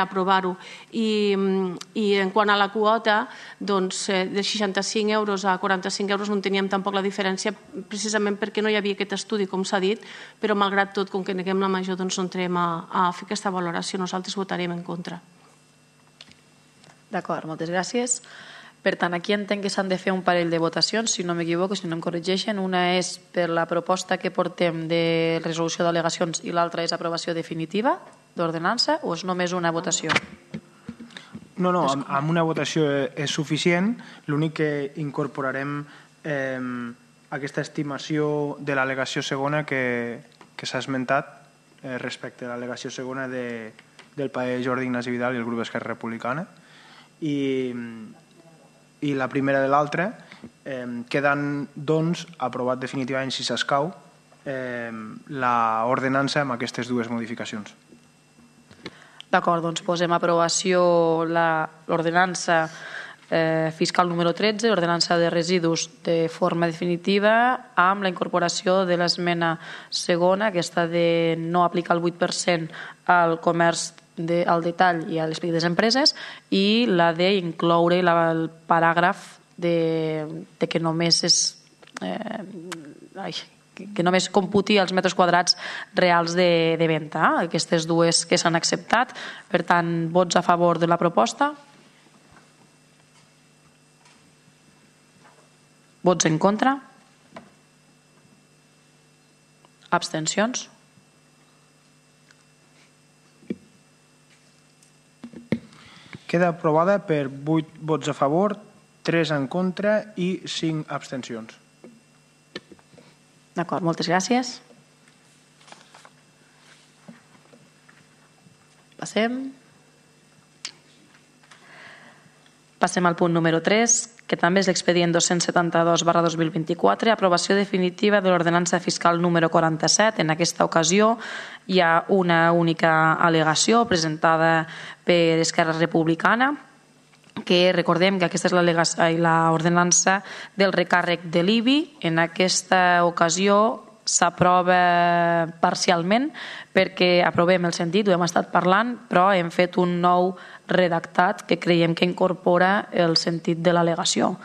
aprovar-ho. I en quant a la quota, doncs de 65 euros a 45 euros no teníem tampoc la diferència, precisament perquè no hi havia aquest estudi, com s'ha dit, però malgrat tot, com que neguem la major, doncs no entrem a fer aquesta valoració. Nosaltres votarem en contra. D'acord, moltes gràcies. Per tant, aquí entenc que s'han de fer un parell de votacions, si no m'equivoco, si no em corregeixen. Una és per la proposta que portem de resolució d'al·legacions i l'altra és aprovació definitiva d'ordenança, o és només una votació? No, amb una votació és suficient. L'únic que incorporarem aquesta estimació de l'al·legació segona que s'ha esmentat respecte a l'al·legació segona del parer Jordi Ignasi Vidal i el grup d'Esquerra Republicana. I la primera de l'altra, quedant, doncs, aprovat definitivament, si s'escau, l'ordenança amb aquestes dues modificacions. D'acord, doncs posem a aprovació l'ordenança fiscal número 13, ordenança de residus de forma definitiva, amb la incorporació de l'esmena segona, aquesta de no aplicar el 8% al comerç al detall i a les petites empreses, i la d'incloure el paràgraf de que només que només computi els metres quadrats reals de venda. Aquestes dues que s'han acceptat. Per tant, vots a favor de la proposta? Vots en contra? Abstencions? Queda aprovada per 8 vots a favor, 3 en contra i 5 abstencions. D'acord, moltes gràcies. Passem al punt número 3, que també és l'expedient 272/2024, aprovació definitiva de l'ordenança fiscal número 47. En aquesta ocasió hi ha una única al·legació presentada per Esquerra Republicana, que recordem que aquesta és l'ordenança del recàrrec de l'IBI. En aquesta ocasió s'aprova parcialment perquè aprovem el sentit, ho hem estat parlant, però hem fet un nou redactat que creiem que incorpora el sentit de l'al·legació.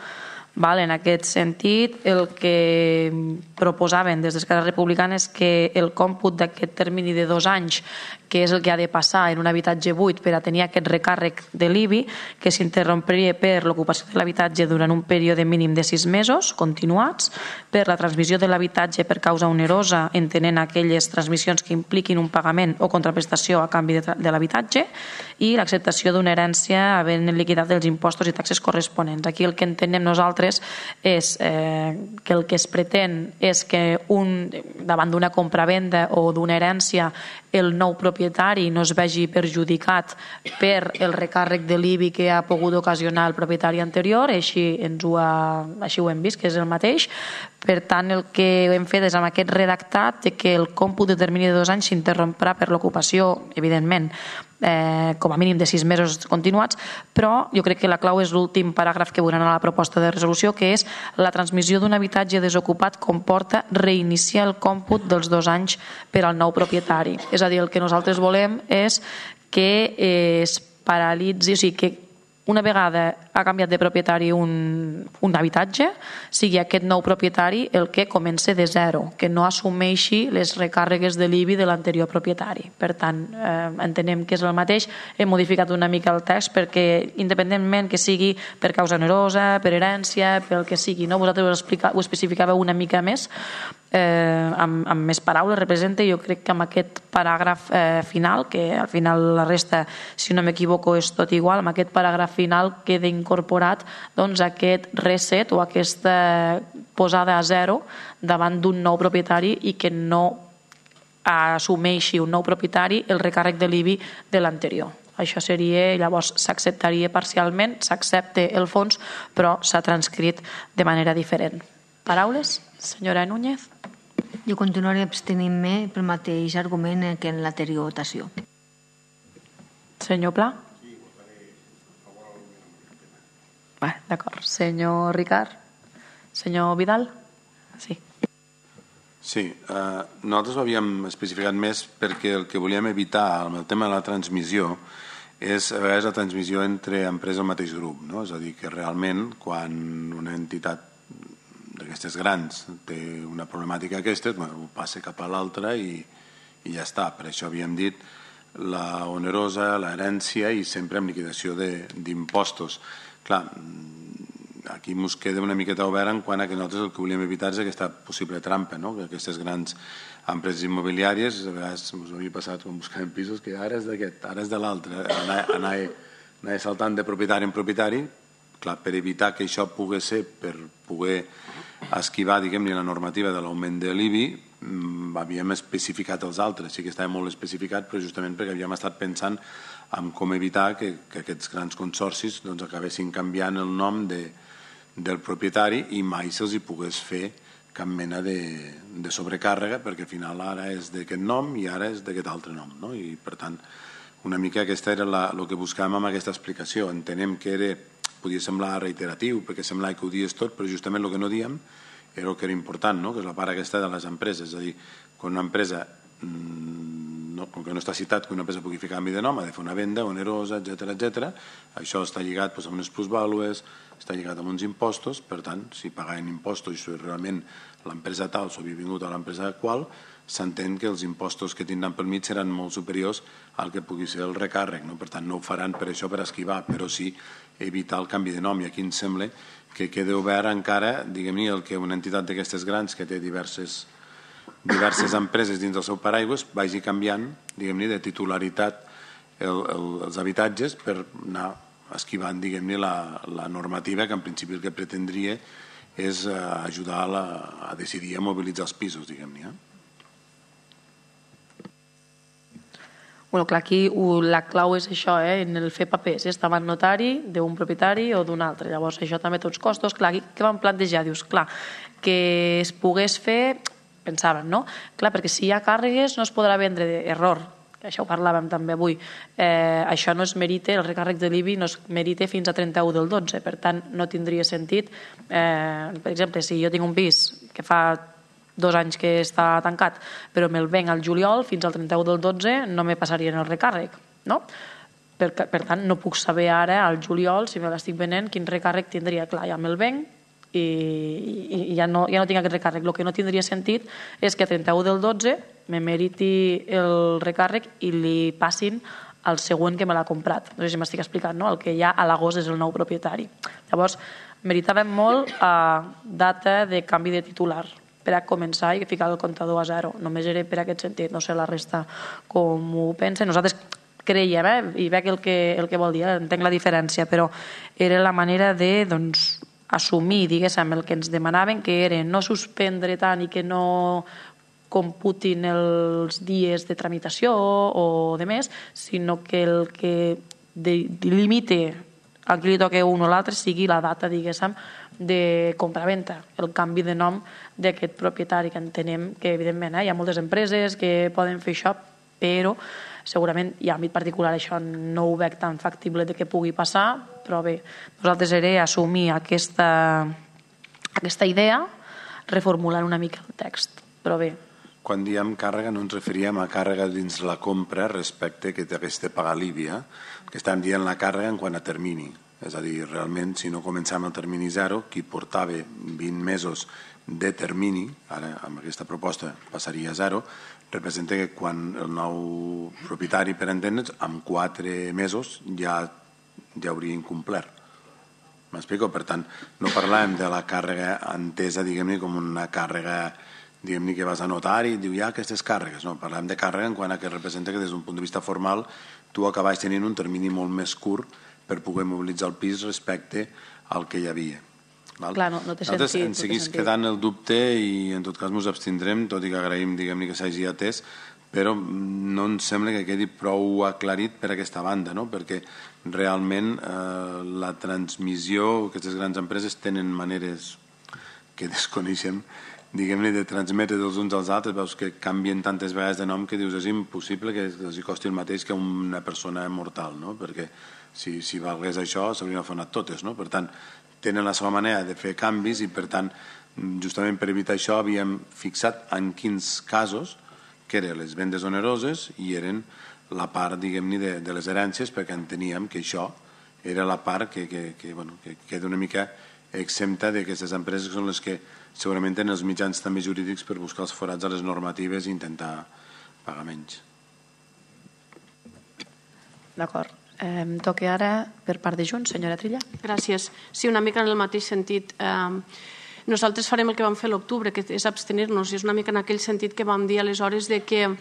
En aquest sentit, el que proposaven des d'Esquerra Republicana és que el còmput d'aquest termini de 2 anys, que és el que ha de passar en un habitatge buit per a tenir aquest recàrrec de l'IBI, que s'interrompiria per l'ocupació de l'habitatge durant un període mínim de 6 mesos continuats, per la transmissió de l'habitatge per causa onerosa, entenent aquelles transmissions que impliquin un pagament o contraprestació a canvi de l'habitatge, i l'acceptació d'una herència havent liquidat els impostos i taxes corresponents. Aquí el que entenem nosaltres és que el que es pretén és que davant d'una compra-venda o d'una herència el nou propietari no es vegi perjudicat per el recàrrec de l'IBI que ha pogut ocasionar el propietari anterior, així ho hem vist, que és el mateix. Per tant, el que hem fet és amb aquest redactat que el còmput de termini de 2 anys s'interromprà per l'ocupació, evidentment, com a mínim de 6 mesos continuats, però jo crec que la clau és l'últim paràgraf que veuran a la proposta de resolució, que és la transmissió d'un habitatge desocupat comporta reiniciar el còmput dels 2 anys per al nou propietari. És a dir, el que nosaltres volem és que es paralitzi, o sigui, que una vegada ha canviat de propietari un habitatge, sigui aquest nou propietari el que comença de zero, que no assumeixi les recàrregues de l'IBI de l'anterior propietari. Per tant, entenem que és el mateix. Hem modificat una mica el text perquè, independentment que sigui per causa onerosa, per herència, pel que sigui, vosaltres ho especificàveu una mica més, amb més paraules, representa. Jo crec que amb aquest paràgraf final, que al final la resta, si no m'equivoco, és tot igual, amb aquest paràgraf final queda incorporat aquest reset o aquesta posada a zero davant d'un nou propietari i que no assumeixi un nou propietari el recàrrec de l'IBI de l'anterior. Això seria, llavors s'acceptaria parcialment, s'accepta el fons, però s'ha transcrit de manera diferent. Paraules? Senyora Núñez? Jo continuaré abstenint-me pel mateix argument que en l'anterior votació. Senyor Pla? D'acord. Senyor Ricard? Senyor Vidal? Sí. Sí, nosaltres ho havíem especificat més perquè el que volíem evitar amb el tema de la transmissió és a vegades la transmissió entre empreses del mateix grup, no? És a dir, que realment quan una entitat d'aquestes grans té una problemàtica d'aquestes, ho passa cap a l'altra i ja està. Per això havíem dit la onerosa, l'herència i sempre amb liquidació d'impostos. Clar, aquí ens queda una miqueta obert en quant a que nosaltres el que volíem evitar és aquesta possible trampa, no? Que aquestes grans empreses immobiliàries, a vegades ens havia passat quan buscàvem pisos, que ara és d'aquest, ara és de l'altre, anar saltant de propietari en propietari. Clar, per evitar que això pugui ser, per poder esquivar, diguem-ne, la normativa de l'augment de l'IBI, havíem especificat els altres, sí que estava molt especificat, però justament perquè havíem estat pensant en com evitar que aquests grans consorcis acabessin canviant el nom del propietari i mai se'ls hi pogués fer cap mena de sobrecàrrega, perquè al final ara és d'aquest nom i ara és d'aquest altre nom, no? I per tant, una mica aquesta era el que buscàvem amb aquesta explicació. Entenem que podia semblar reiteratiu, perquè semblava que ho dies tot, però justament el que no diem era el que era important, no? Que és la part aquesta de les empreses. És a dir, quan una empresa, com que no està citat que una empresa pugui fer canvi de nom, ha de fer una venda onerosa, etc. Això està lligat amb unes plusvàlues, està lligat amb uns impostos, per tant, si pagaven impostos i si realment l'empresa tal s'havia vingut a l'empresa qual, s'entén que els impostos que tindran pel mig seran molt superiors al que pugui ser el recàrrec, no? Per tant, no ho faran per això, per esquivar, però sí evitar el canvi de nom. I aquí em sembla que queda obert encara, diguem-ne, el que una entitat d'aquestes grans que té diverses empreses dins del seu paraigües vagi canviant, diguem-ne, de titularitat els habitatges per anar esquivant, diguem-ne, la normativa que en principi el que pretendria és ajudar a decidir a mobilitzar els pisos, diguem-ne. Bueno, clar, aquí la clau és això, en el fer papers, estava en notari d'un propietari o d'un altre. Llavors, això també té uns costos. Clar, aquí què vam plantejar? Dius, clar, que es pogués fer, pensàvem, no? Clar, perquè si hi ha càrregues no es podrà vendre error. Això ho parlàvem també avui. Això no es merita, el recàrrec de l'IBI no es merita fins a 31 del 12. Per tant, no tindria sentit. Per exemple, si jo tinc un pis que fa 2 anys que està tancat, però me'l venc al juliol, fins al 31 del 12 no me passarien el recàrrec, no? Per tant, no puc saber ara, al juliol, si me l'estic venent, quin recàrrec tindria. Clar, ja me'l venc i ja no tinc aquest recàrrec. El que no tindria sentit és que a 31 del 12 me meriti el recàrrec i li passin al següent que me l'ha comprat. No sé si m'estic explicant, no? El que ja a l'agost és el nou propietari. Llavors, meritàvem molt data de canvi de titular per a començar i ficar el comptador a zero. Només era per aquest sentit, no sé la resta com ho pensen. Nosaltres creiem, i veig el que vol dir, entenc la diferència, però era la manera de assumir, diguéssim, el que ens demanaven, que era no suspendre tant i que no computin els dies de tramitació o de més, sinó que el que delimite a qui li toca un o l'altre sigui la data, diguéssim, de compraventa, el canvi de nom d'aquest propietari, que entenem que, evidentment, hi ha moltes empreses que poden fer això, però segurament i en àmbit particular això no ho veig tan factible de que pugui passar, però bé, nosaltres era assumir aquesta idea reformulant una mica el text, però bé. Quan diem càrrega no ens referíem a càrrega dins la compra respecte que hagués de pagar l'IBI, que estàvem dient la càrrega en quant a termini. És a dir, realment, si no començàvem el termini zero, qui portava 20 mesos de termini, ara amb aquesta proposta passaria a zero, representa que quan el nou propietari, per entendre'ns, amb 4 mesos ja hauria incomplert. M'explico? Per tant, no parlàvem de la càrrega entesa, diguem-ne, com una càrrega, diguem-ne, que vas a notari i diu, hi ha aquestes càrregues. No, parlàvem de càrrega en quant a que representa que des d'un punt de vista formal tu acabes tenint un termini molt més curt per poder mobilitzar el pis respecte al que hi havia. Clar, no té sentit. Nosaltres ens seguís quedant el dubte i en tot cas ens abstindrem, tot i que agraïm que s'hagi atès, però no ens sembla que quedi prou aclarit per aquesta banda, no? Perquè realment la transmissió, aquestes grans empreses tenen maneres que desconeixem, diguem-ne, de transmetre dels uns als altres. Veus que canvien tantes vegades de nom que dius és impossible que els costi el mateix que una persona mortal, no? Perquè si valgués això s'haurien fonat totes, no? Per tant, tenen la seva manera de fer canvis i per tant, justament per evitar això havíem fixat en quins casos que eren les vendes oneroses i eren la part, diguem-ne, de les herències, perquè enteníem que això era la part que queda una mica exempta d'aquestes empreses que són les que segurament tenen els mitjans també jurídics per buscar els forats a les normatives i intentar pagar menys. D'acord. Toque ara per part de Junts, senyora Trilla. Gràcies. Sí, una mica en el mateix sentit. Nosaltres farem el que vam fer a l'octubre, que és abstenir-nos, i és una mica en aquell sentit que vam dir aleshores de que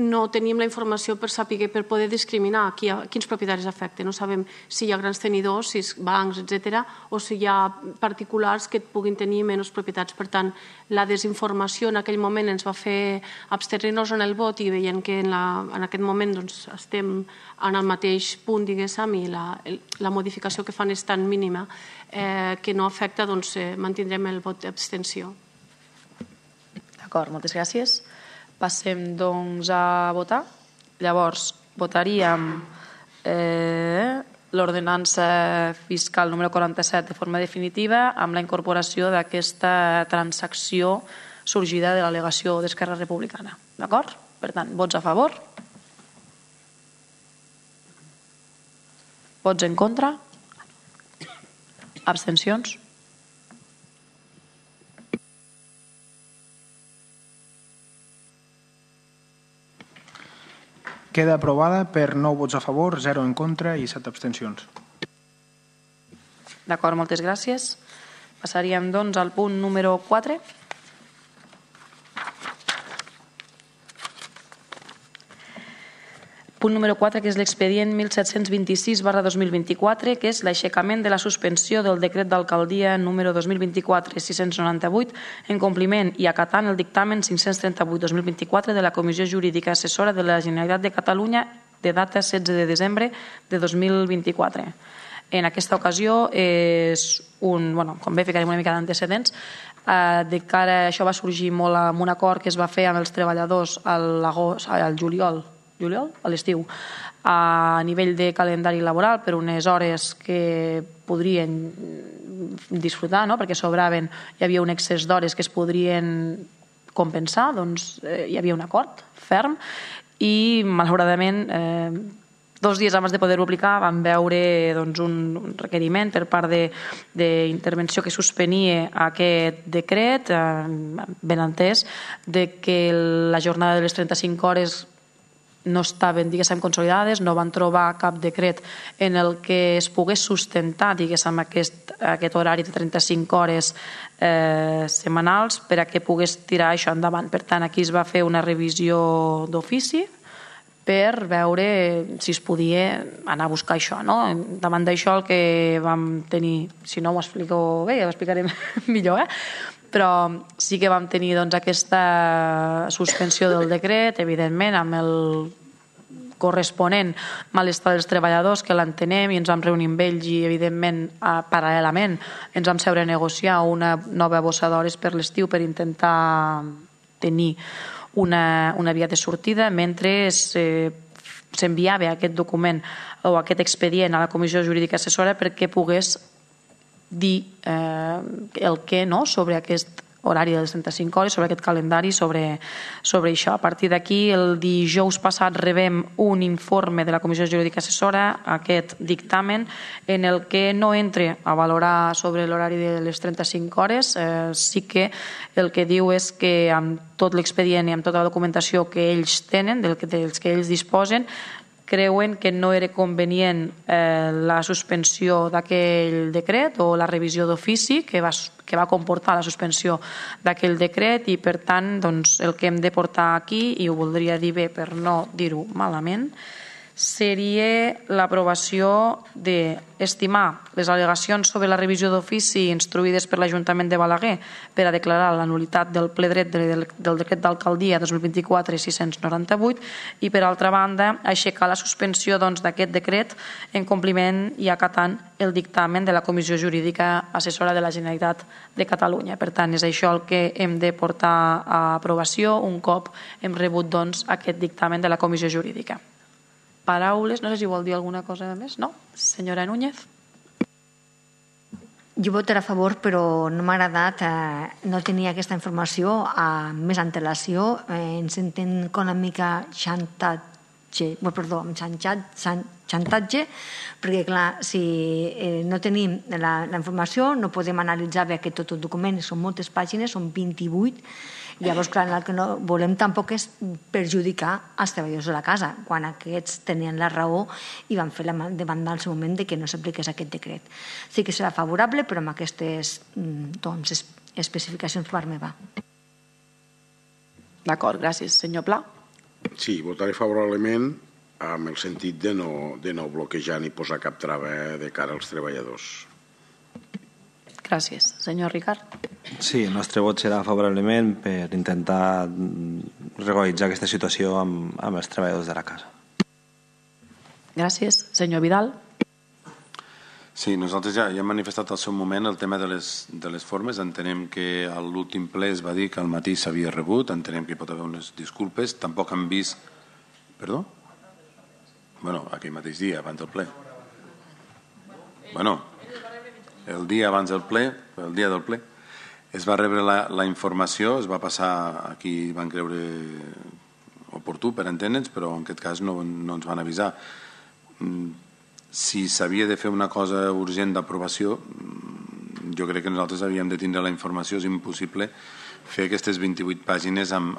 no tenim la informació per saber, per poder discriminar quins propietaris afecten. No sabem si hi ha grans tenidors, si bancs, etc., o si hi ha particulars que puguin tenir menys propietats. Per tant, la desinformació en aquell moment ens va fer abstenir-nos en el vot i veient que en aquest moment estem en el mateix punt, diguéssim, i la modificació que fan és tan mínima que no afecta, doncs mantindrem el vot d'abstenció. D'acord, moltes gràcies. Passem, doncs, a votar. Llavors, votaríem l'ordenança fiscal número 47 de forma definitiva amb la incorporació d'aquesta transacció sorgida de l'al·legació d'Esquerra Republicana. D'acord? Per tant, vots a favor? Vots en contra? Abstencions? Queda aprovada per 9 vots a favor, 0 en contra i 7 abstencions. D'acord, moltes gràcies. Passaríem, doncs, al punt número 4. Punt número 4, que és l'expedient 1726/2024, que és l'aixecament de la suspensió del decret d'alcaldia número 2024-698 en compliment i acatant el dictamen 538/2024 de la Comissió Jurídica Assessora de la Generalitat de Catalunya de data 16 de desembre de 2024. En aquesta ocasió és com bé ficarem una mica d'antecedents, de cara a això va sorgir molt amb un acord que es va fer amb els treballadors al juliol, a l'estiu, a nivell de calendari laboral per unes hores que podrien disfrutar, no? Perquè sobraven, hi havia un excés d'hores que es podrien compensar, doncs hi havia un acord ferm i malauradament 2 dies abans de poder-ho aplicar vam veure un requeriment per part d'intervenció que suspenia aquest decret, ben entès, de que la jornada de les 35 hores no estaven, diguéssim, consolidades, no van trobar cap decret en el que es pogués sustentar, diguéssim, aquest horari de 35 hores setmanals per a que pogués tirar això endavant. Per tant, aquí es va fer una revisió d'ofici per veure si es podia anar a buscar això, no? Davant d'això el que vam tenir, si no ho explico bé, ja ho explicaré millor, però sí que vam tenir aquesta suspensió del decret, evidentment, amb el corresponent malestar dels treballadors, que l'entenem, i ens vam reunir amb ells i, evidentment, paral·lelament, ens vam seure a negociar una nova bossa d'hores per l'estiu per intentar tenir una via de sortida mentre s'enviava aquest document o aquest expedient a la Comissió Jurídica Assessora perquè pogués dir el què sobre aquest horari de les 35 hores, sobre aquest calendari, sobre això. A partir d'aquí, el dijous passat rebem un informe de la Comissió Jurídica Assessora, aquest dictamen, en el que no entre a valorar sobre l'horari de les 35 hores. Sí que el que diu és que amb tot l'expedient i amb tota la documentació que ells tenen, dels que ells disposen, creuen que no era convenient la suspensió d'aquell decret o la revisió d'ofici que va comportar la suspensió d'aquell decret i, per tant, el que hem de portar aquí, i ho voldria dir bé per no dir-ho malament, seria l'aprovació d'estimar les al·legacions sobre la revisió d'ofici instruïdes per l'Ajuntament de Balaguer per a declarar la nul·litat del ple dret del decret d'alcaldia 2024-698 i, per altra banda, aixecar la suspensió d'aquest decret en compliment i acatant el dictamen de la Comissió Jurídica Assessora de la Generalitat de Catalunya. Per tant, és això el que hem de portar a aprovació un cop hem rebut aquest dictamen de la Comissió Jurídica. Paraules, no sé si vol dir alguna cosa més, no? Senyora Núñez. Jo votaré a favor, però no m'ha agradat no tenir aquesta informació amb més antelació. Ens entén com una mica xantatge, perquè clar, si no tenim la informació no podem analitzar bé aquest tot el document, són moltes pàgines, són 28. Llavors, clar, el que no volem tampoc és perjudicar els treballadors de la casa, quan aquests tenien la raó i van fer la demanda al seu moment de que no s'apliqués aquest decret. Sí que serà favorable, però amb aquestes especificacions per part meva. D'acord, gràcies. Senyor Pla. Sí, votaré favorablement amb el sentit de no bloquejar ni posar cap trava de cara als treballadors. Gràcies. Senyor Ricard. Sí, el nostre vot serà favorablement per intentar regularitzar aquesta situació amb els treballadors de la casa. Gràcies. Senyor Vidal. Sí, nosaltres ja hem manifestat al seu moment el tema de les formes. Entenem que a l'últim ple es va dir que al matí s'havia rebut, entenem que hi pot haver unes disculpes. Tampoc hem vist... Perdó? Bueno, aquell mateix dia, abans del ple. Bueno, el dia abans del ple, el dia del ple, es va rebre la informació, es va passar a qui van creure oportú per entendre'ns, però en aquest cas no ens van avisar. Si s'havia de fer una cosa urgent d'aprovació, jo crec que nosaltres havíem de tindre la informació. És impossible fer aquestes 28 pàgines amb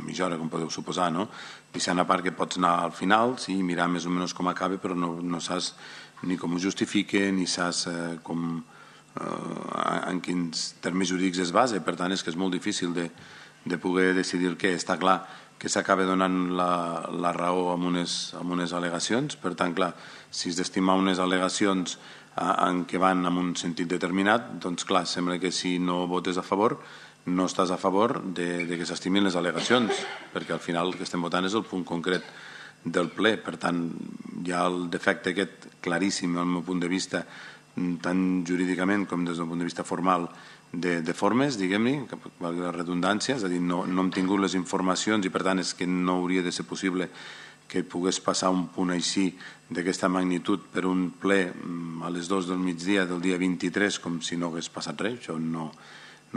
mitja hora, com podeu suposar, no? Deixant a part que pots anar al final, sí, mirar més o menys com acaba, però no saps ni com ho justifica, ni saps en quins termes jurídics es basa. Per tant, és que és molt difícil de poder decidir què. Està clar que s'acaba donant la raó amb unes al·legacions. Per tant, clar, si es d'estimar unes al·legacions en què van en un sentit determinat, doncs clar, sembla que si no votes a favor no estàs a favor de que s'estimin les al·legacions, perquè al final el que estem votant és el punt concret del ple. Per tant, hi ha el defecte aquest claríssim, al meu punt de vista, tant jurídicament com des del punt de vista formal, de formes, diguem-ne, valgui la redundància, és a dir, no hem tingut les informacions i per tant és que no hauria de ser possible que pogués passar un punt així d'aquesta magnitud per un ple a les 2 del migdia del dia 23 com si no hagués passat res. Això no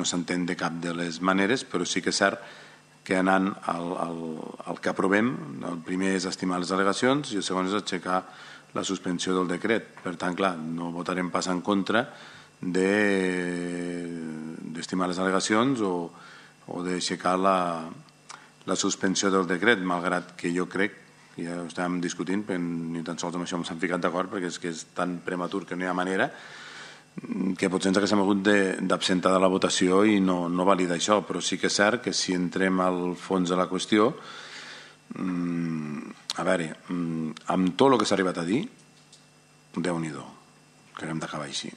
s'entén de cap de les maneres, però sí que és cert que anant al que aprovem, el primer és estimar les al·legacions i el segon és aixecar la suspensió del decret. Per tant, clar, no votarem pas en contra d'estimar les al·legacions o d'aixecar la suspensió del decret, malgrat que jo crec, ja ho estàvem discutint, ni tan sols amb això s'han ficat d'acord, perquè és que és tan prematur que no hi ha manera, que potser ens haguéssim hagut d'absentar de la votació i no valida això, però sí que és cert que si entrem al fons de la qüestió, a veure, amb tot el que s'ha arribat a dir, Déu-n'hi-do, que hem d'acabar així.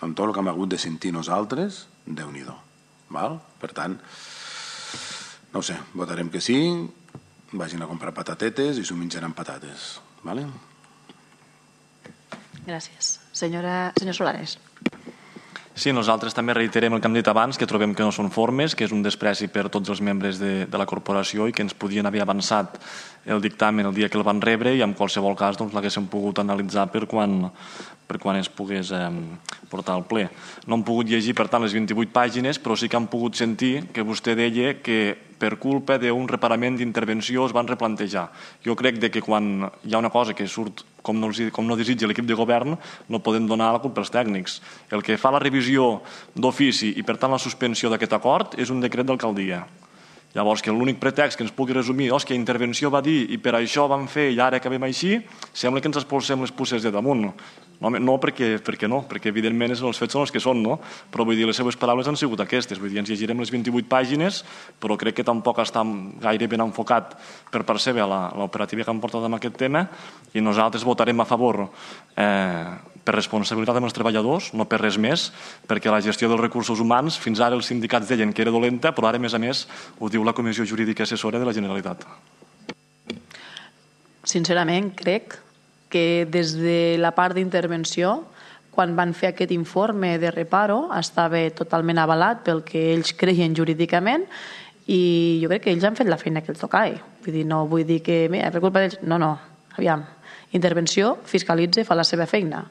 Amb tot el que hem hagut de sentir nosaltres, Déu-n'hi-do. Per tant, no ho sé, votarem que sí, vagin a comprar patatetes i s'ho menjaran patates. Gràcies. Senyor Solares. Sí, nosaltres també reiterem el que hem dit abans, que trobem que no són formes, que és un despreci per tots els membres de la corporació i que ens podien haver avançat el dictamen el dia que el van rebre i en qualsevol cas l'haguéssim pogut analitzar per quan es pogués portar al ple. No hem pogut llegir, per tant, les 28 pàgines, però sí que hem pogut sentir que vostè deia que per culpa d'un reparament d'intervenció es van replantejar. Jo crec que quan hi ha una cosa que surt com no desitja l'equip de govern, no podem donar la culpa als tècnics. El que fa la revisió d'ofici i, per tant, la suspensió d'aquest acord és un decret d'alcaldia. Llavors, que l'únic pretext que ens pugui resumir és que intervenció va dir i per això vam fer i ara acabem així, sembla que ens expulsem les puces de damunt. No, perquè no, perquè evidentment els fets són els que són, no? Però vull dir, les seves paraules han sigut aquestes, vull dir, ens llegirem les 28 pàgines, però crec que tampoc està gaire ben enfocat per part seva l'operativa que han portat amb aquest tema, i nosaltres votarem a favor per responsabilitat dels treballadors, no per res més, perquè la gestió dels recursos humans, fins ara els sindicats deien que era dolenta, però ara, a més, ho diu la Comissió Jurídica Assessora de la Generalitat. Sincerament, crec que des de la part d'intervenció, quan van fer aquest informe de reparo, estava totalment avalat pel que ells creien jurídicament i jo crec que ells han fet la feina que els tocava. Vull dir, no vull dir que per culpa d'ells... No, aviam. Intervenció, fiscalitza, fa la seva feina.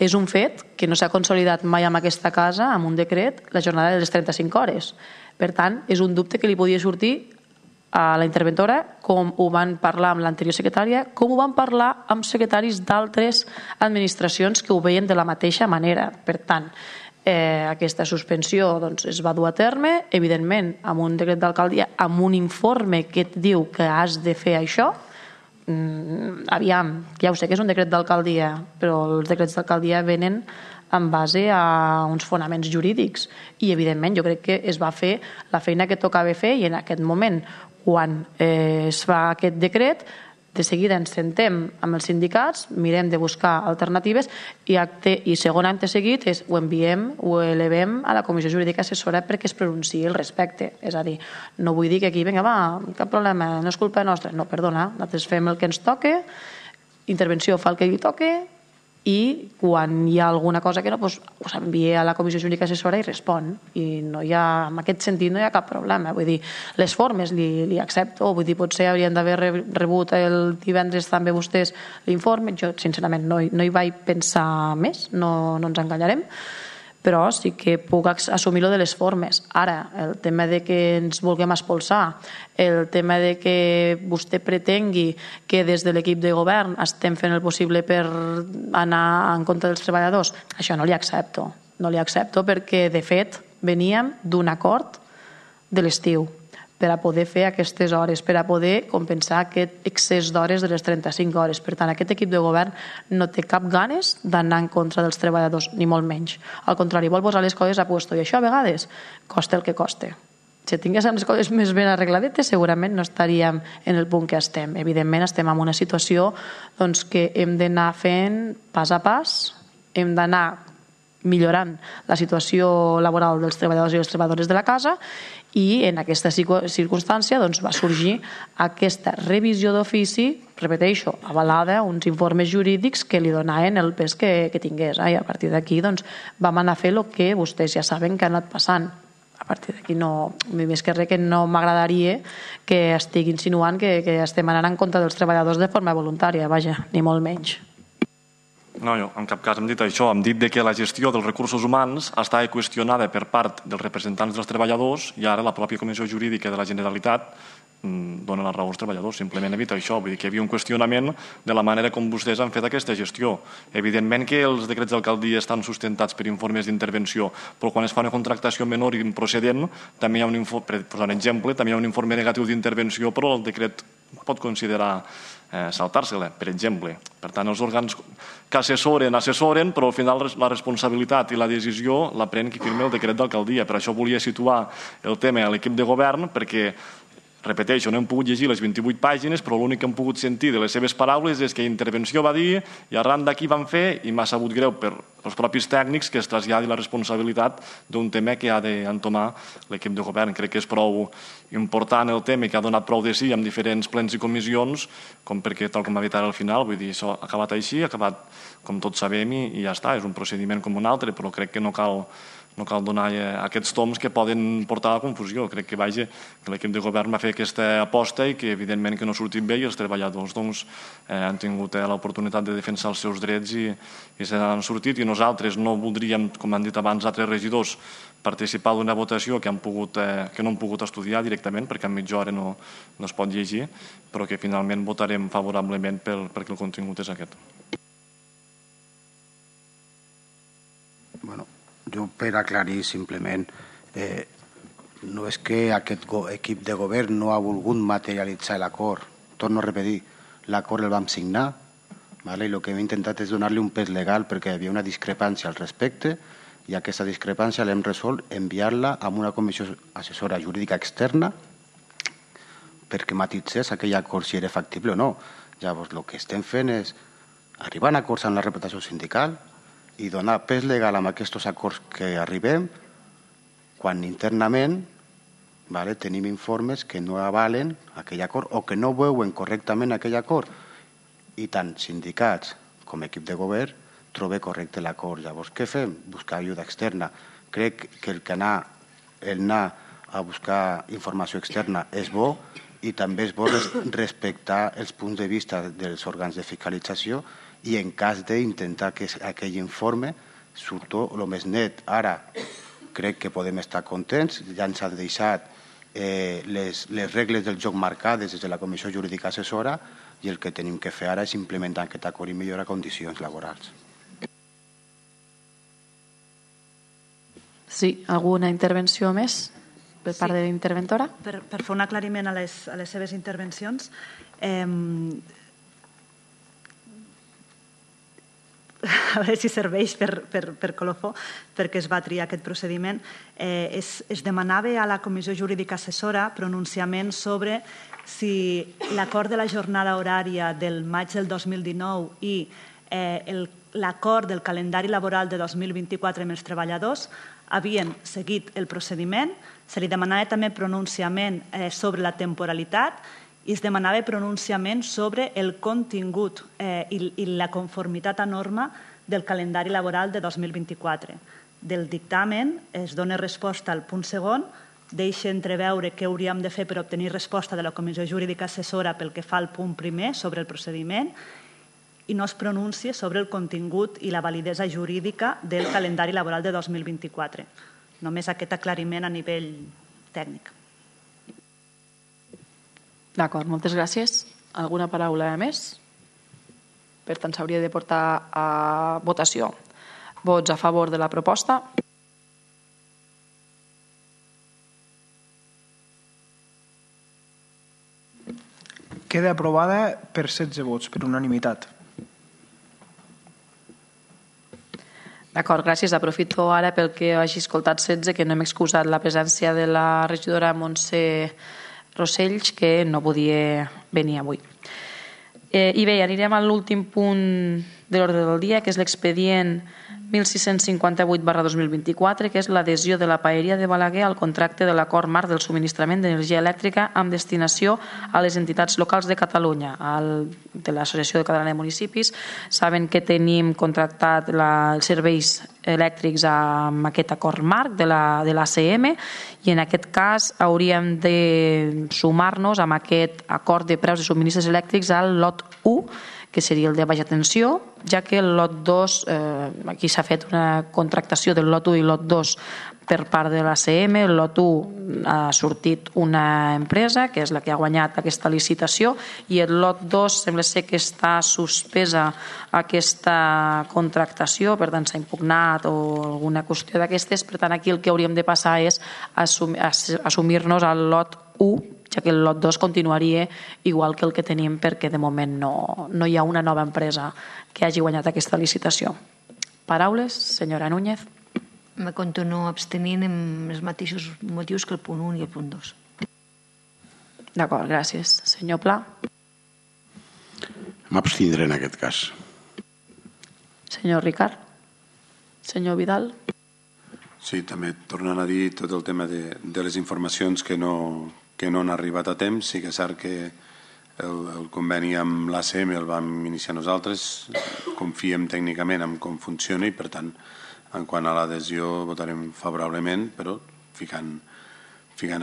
És un fet que no s'ha consolidat mai en aquesta casa, amb un decret, la jornada de les 35 hores. Per tant, és un dubte que li podia sortir a la interventora, com ho van parlar amb l'anterior secretària, com ho van parlar amb secretaris d'altres administracions que ho veien de la mateixa manera. Per tant, aquesta suspensió es va dur a terme, evidentment, amb un decret d'alcaldia, amb un informe que et diu que has de fer això. Aviam, ja ho sé que és un decret d'alcaldia, però els decrets d'alcaldia venen en base a uns fonaments jurídics i, evidentment, jo crec que es va fer la feina que tocava fer i en aquest moment, quan es fa aquest decret, de seguida ens sentem amb els sindicats, mirem de buscar alternatives i segon acte seguit ho enviem, ho elevem a la Comissió Jurídica Assessora perquè es pronunciï al respecte. És a dir, no vull dir que aquí, vinga, va, cap problema, no és culpa nostra. No, perdona, nosaltres fem el que ens toca, intervenció fa el que li toca i quan hi ha alguna cosa que no, ho s'envia a la Comissió Jurídica Assessora i respon. I en aquest sentit no hi ha cap problema. Vull dir, les formes li accepto, vull dir, potser haurien d'haver rebut el divendres també vostès l'informe. Jo, sincerament, no hi vaig pensar més, no ens enganyarem, però sí que puc assumir lo de les formes. Ara, el tema de que ens vulguem expulsar, el tema de que vostè pretengui que des de l'equip de govern estem fent el possible per anar en contra dels treballadors, això no li accepto. No li accepto perquè, de fet, veníem d'un acord de l'estiu per a poder fer aquestes hores, per a poder compensar aquest excés d'hores de les 35 hores. Per tant, aquest equip de govern no té cap ganes d'anar en contra dels treballadors, ni molt menys. Al contrari, vol posar les coses a puesto, i això a vegades costa el que costa. Si tinguéssim les coses més ben arregladetes, segurament no estaríem en el punt que estem. Evidentment, estem en una situació que hem d'anar fent pas a pas, hem d'anar millorant la situació laboral dels treballadors i les treballadores de la casa i en aquesta circumstància va sorgir aquesta revisió d'ofici, repeteixo, avalada, uns informes jurídics que li donaven el pes que tingués. I a partir d'aquí vam anar a fer el que vostès ja saben que ha anat passant. A partir d'aquí, més que res, que no m'agradaria que estigui insinuant que estem anant en contra dels treballadors de forma voluntària, vaja, ni molt menys. No, jo en cap cas hem dit això, hem dit que la gestió dels recursos humans estava qüestionada per part dels representants dels treballadors i ara la pròpia Comissió Jurídica de la Generalitat dona la raó als treballadors, simplement evita això, vull dir que hi havia un qüestionament de la manera com vostès han fet aquesta gestió. Evidentment que els decrets d'alcaldia estan sustentats per informes d'intervenció, però quan es fa una contractació menor i improcedent, també hi ha per posar un exemple, també hi ha un informe negatiu d'intervenció, però el decret pot considerar saltar-se-la, per exemple. Per tant, els òrgans que assessoren, però al final la responsabilitat i la decisió la pren qui firma el decret d'alcaldia. Per això volia situar el tema a l'equip de govern, perquè repeteixo, no hem pogut llegir les 28 pàgines, però l'únic que hem pogut sentir de les seves paraules és que intervenció va dir i arran d'aquí van fer i m'ha sabut greu per els propis tècnics que es traslladi la responsabilitat d'un tema que ha d'entomar l'equip de govern. Crec que és prou important el tema que ha donat prou de sí en diferents plens i comissions, com perquè, tal com ha dit ara al final, vull dir, això ha acabat així, ha acabat com tots sabem i ja està, és un procediment com un altre, però crec que no cal donar aquests toms que poden portar a la confusió. Crec que l'equip de govern va fer aquesta aposta i que evidentment que no ha sortit bé i els treballadors han tingut l'oportunitat de defensar els seus drets i se n'han sortit i nosaltres no voldríem, com han dit abans altres regidors, participar d'una votació que no han pogut estudiar directament perquè en mitja hora no es pot llegir, però que finalment votarem favorablement perquè el contingut és aquest. Bueno, jo per aclarir simplement no és que aquest equip de govern no ha volgut materialitzar l'acord. Torno a repetir, l'acord el vam signar, i el que hem intentat és donar-li un pes legal perquè hi havia una discrepància al respecte i aquesta discrepància l'hem resolt enviar-la a una comissió assessora jurídica externa perquè matitzés aquell acord si era factible o no. Llavors, el que estem fent és arribar a acords amb la representació sindical i donar pes legal amb aquests acords que arribem quan internament tenim informes que no avalen aquell acord o que no veuen correctament aquell acord. I tant sindicats com equip de govern trobe correcte l'acord. Llavors, què fem? Buscar ajuda externa. Crec que el anar a buscar informació externa és bo i també és bo respectar els punts de vista dels òrgans de fiscalització i en cas d'intentar que aquell informe surti el més net. Ara, crec que podem estar contents, ja ens han deixat les regles del joc marcades des de la Comissió Jurídica Assessora i el que tenim que fer ara és implementar aquest acord i millorar condicions laborals. Sí, alguna intervenció més per part de l'interventora? Per fer un aclariment a les seves intervencions, a veure si serveix per colofó, perquè es va triar aquest procediment, es demanava a la Comissió Jurídica Assessora pronunciament sobre si l'acord de la jornada horària del maig del 2019 i l'acord del calendari laboral de 2024 amb els treballadors havien seguit el procediment, se li demanava també pronunciament sobre la temporalitat i es demanava pronunciament sobre el contingut i la conformitat a norma del calendari laboral de 2024. Del dictamen es dona resposta al punt segon, deixa entreveure què hauríem de fer per obtenir resposta de la Comissió Jurídica Assessora pel que fa al punt primer sobre el procediment i no es pronuncia sobre el contingut i la validesa jurídica del calendari laboral de 2024. Només aquest aclariment a nivell tècnic. D'acord, moltes gràcies. Alguna paraula més? Per tant, s'hauria de portar a votació. Vots a favor de la proposta? Queda aprovada per 16 vots, per unanimitat. D'acord, gràcies. Aprofito ara pel que hagi escoltat 16, que no hem excusat la presència de la regidora Montse Rosells, que no podia venir avui. I bé, anirem a l'últim punt de l'ordre del dia, que és l'expedient 1658/2024, que és l'adhesió de la Paeria de Balaguer al contracte de l'acord marc del subministrament d'energia elèctrica amb destinació a les entitats locals de Catalunya, de l'Associació Catalana de Municipis. Saben que tenim contractat els serveis elèctrics amb aquest acord marc de l'ACM i en aquest cas hauríem de sumar-nos amb aquest acord de preus de subministres elèctrics al lot 1, que seria el de baixa tensió, ja que el lot 2, aquí s'ha fet una contractació del lot 1 i lot 2 per part de l'ACM. El lot 1 ha sortit una empresa, que és la que ha guanyat aquesta licitació, i el lot 2 sembla ser que està suspesa aquesta contractació, per tant s'ha impugnat o alguna qüestió d'aquestes. Per tant, aquí el que hauríem de passar és assumir-nos al lot 1, ja que el lot 2 continuaria igual que el que tenim, perquè de moment no hi ha una nova empresa que hagi guanyat aquesta licitació. Paraules, senyora Núñez. Me continuo abstenint amb els mateixos motius que el punt 1 i el punt 2. D'acord, gràcies. Senyor Pla. M'abstindré en aquest cas. Senyor Ricard. Senyor Vidal. Sí, també tornant a dir tot el tema de les informacions que no han arribat a temps. Sí que és cert que el conveni amb l'ACM el vam iniciar nosaltres, confiem tècnicament en com funciona i per tant en quant a l'adhesió votarem favorablement, però ficant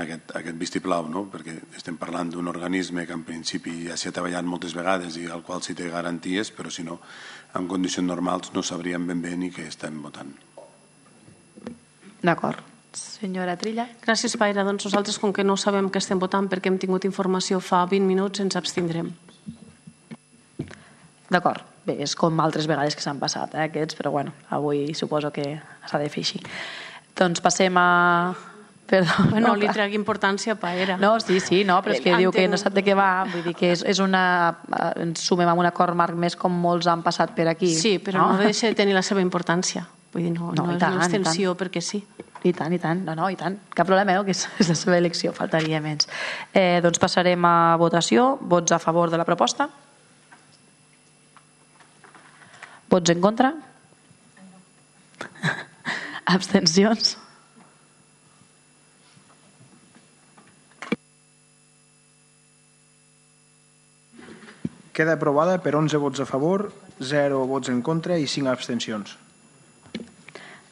aquest vistiplau, no? Perquè estem parlant d'un organisme que en principi ja s'hi ha treballat moltes vegades i al qual s'hi té garanties, però si no, en condicions normals no sabríem ben bé ni què estem votant. D'acord. Senyora Trilla. Gràcies, Paira. Doncs nosaltres, com que no sabem què estem votant perquè hem tingut informació fa 20 minuts, ens abstindrem. D'acord. Bé, és com altres vegades que s'han passat, aquests, però bueno, avui suposo que s'ha de fer així. Doncs passem a Perdó. No li trec importància, Paera. No, sí, però és que diu que no sap de què va, vull dir que és una... ens sumem amb un acord marc més com molts han passat per aquí. Sí, però no deixa de tenir la seva importància. Vull dir, no és una extensió perquè sí. I tant, i tant. No, i tant. Cap problema, que és la seva elecció, faltaria menys. Doncs passarem a votació. Vots a favor de la proposta? Vots en contra? Abstencions? Queda aprovada per 11 vots a favor, 0 vots en contra i 5 abstencions.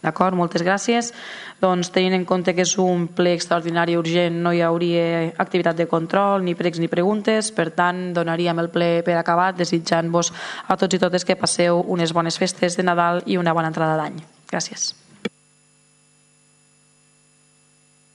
D'acord, moltes gràcies. Doncs tenint en compte que és un ple extraordinari urgent, no hi hauria activitat de control, ni pregs ni preguntes, per tant donaríem el ple per acabat, desitjant-vos a tots i totes que passeu unes bones festes de Nadal i una bona entrada d'any. Gràcies.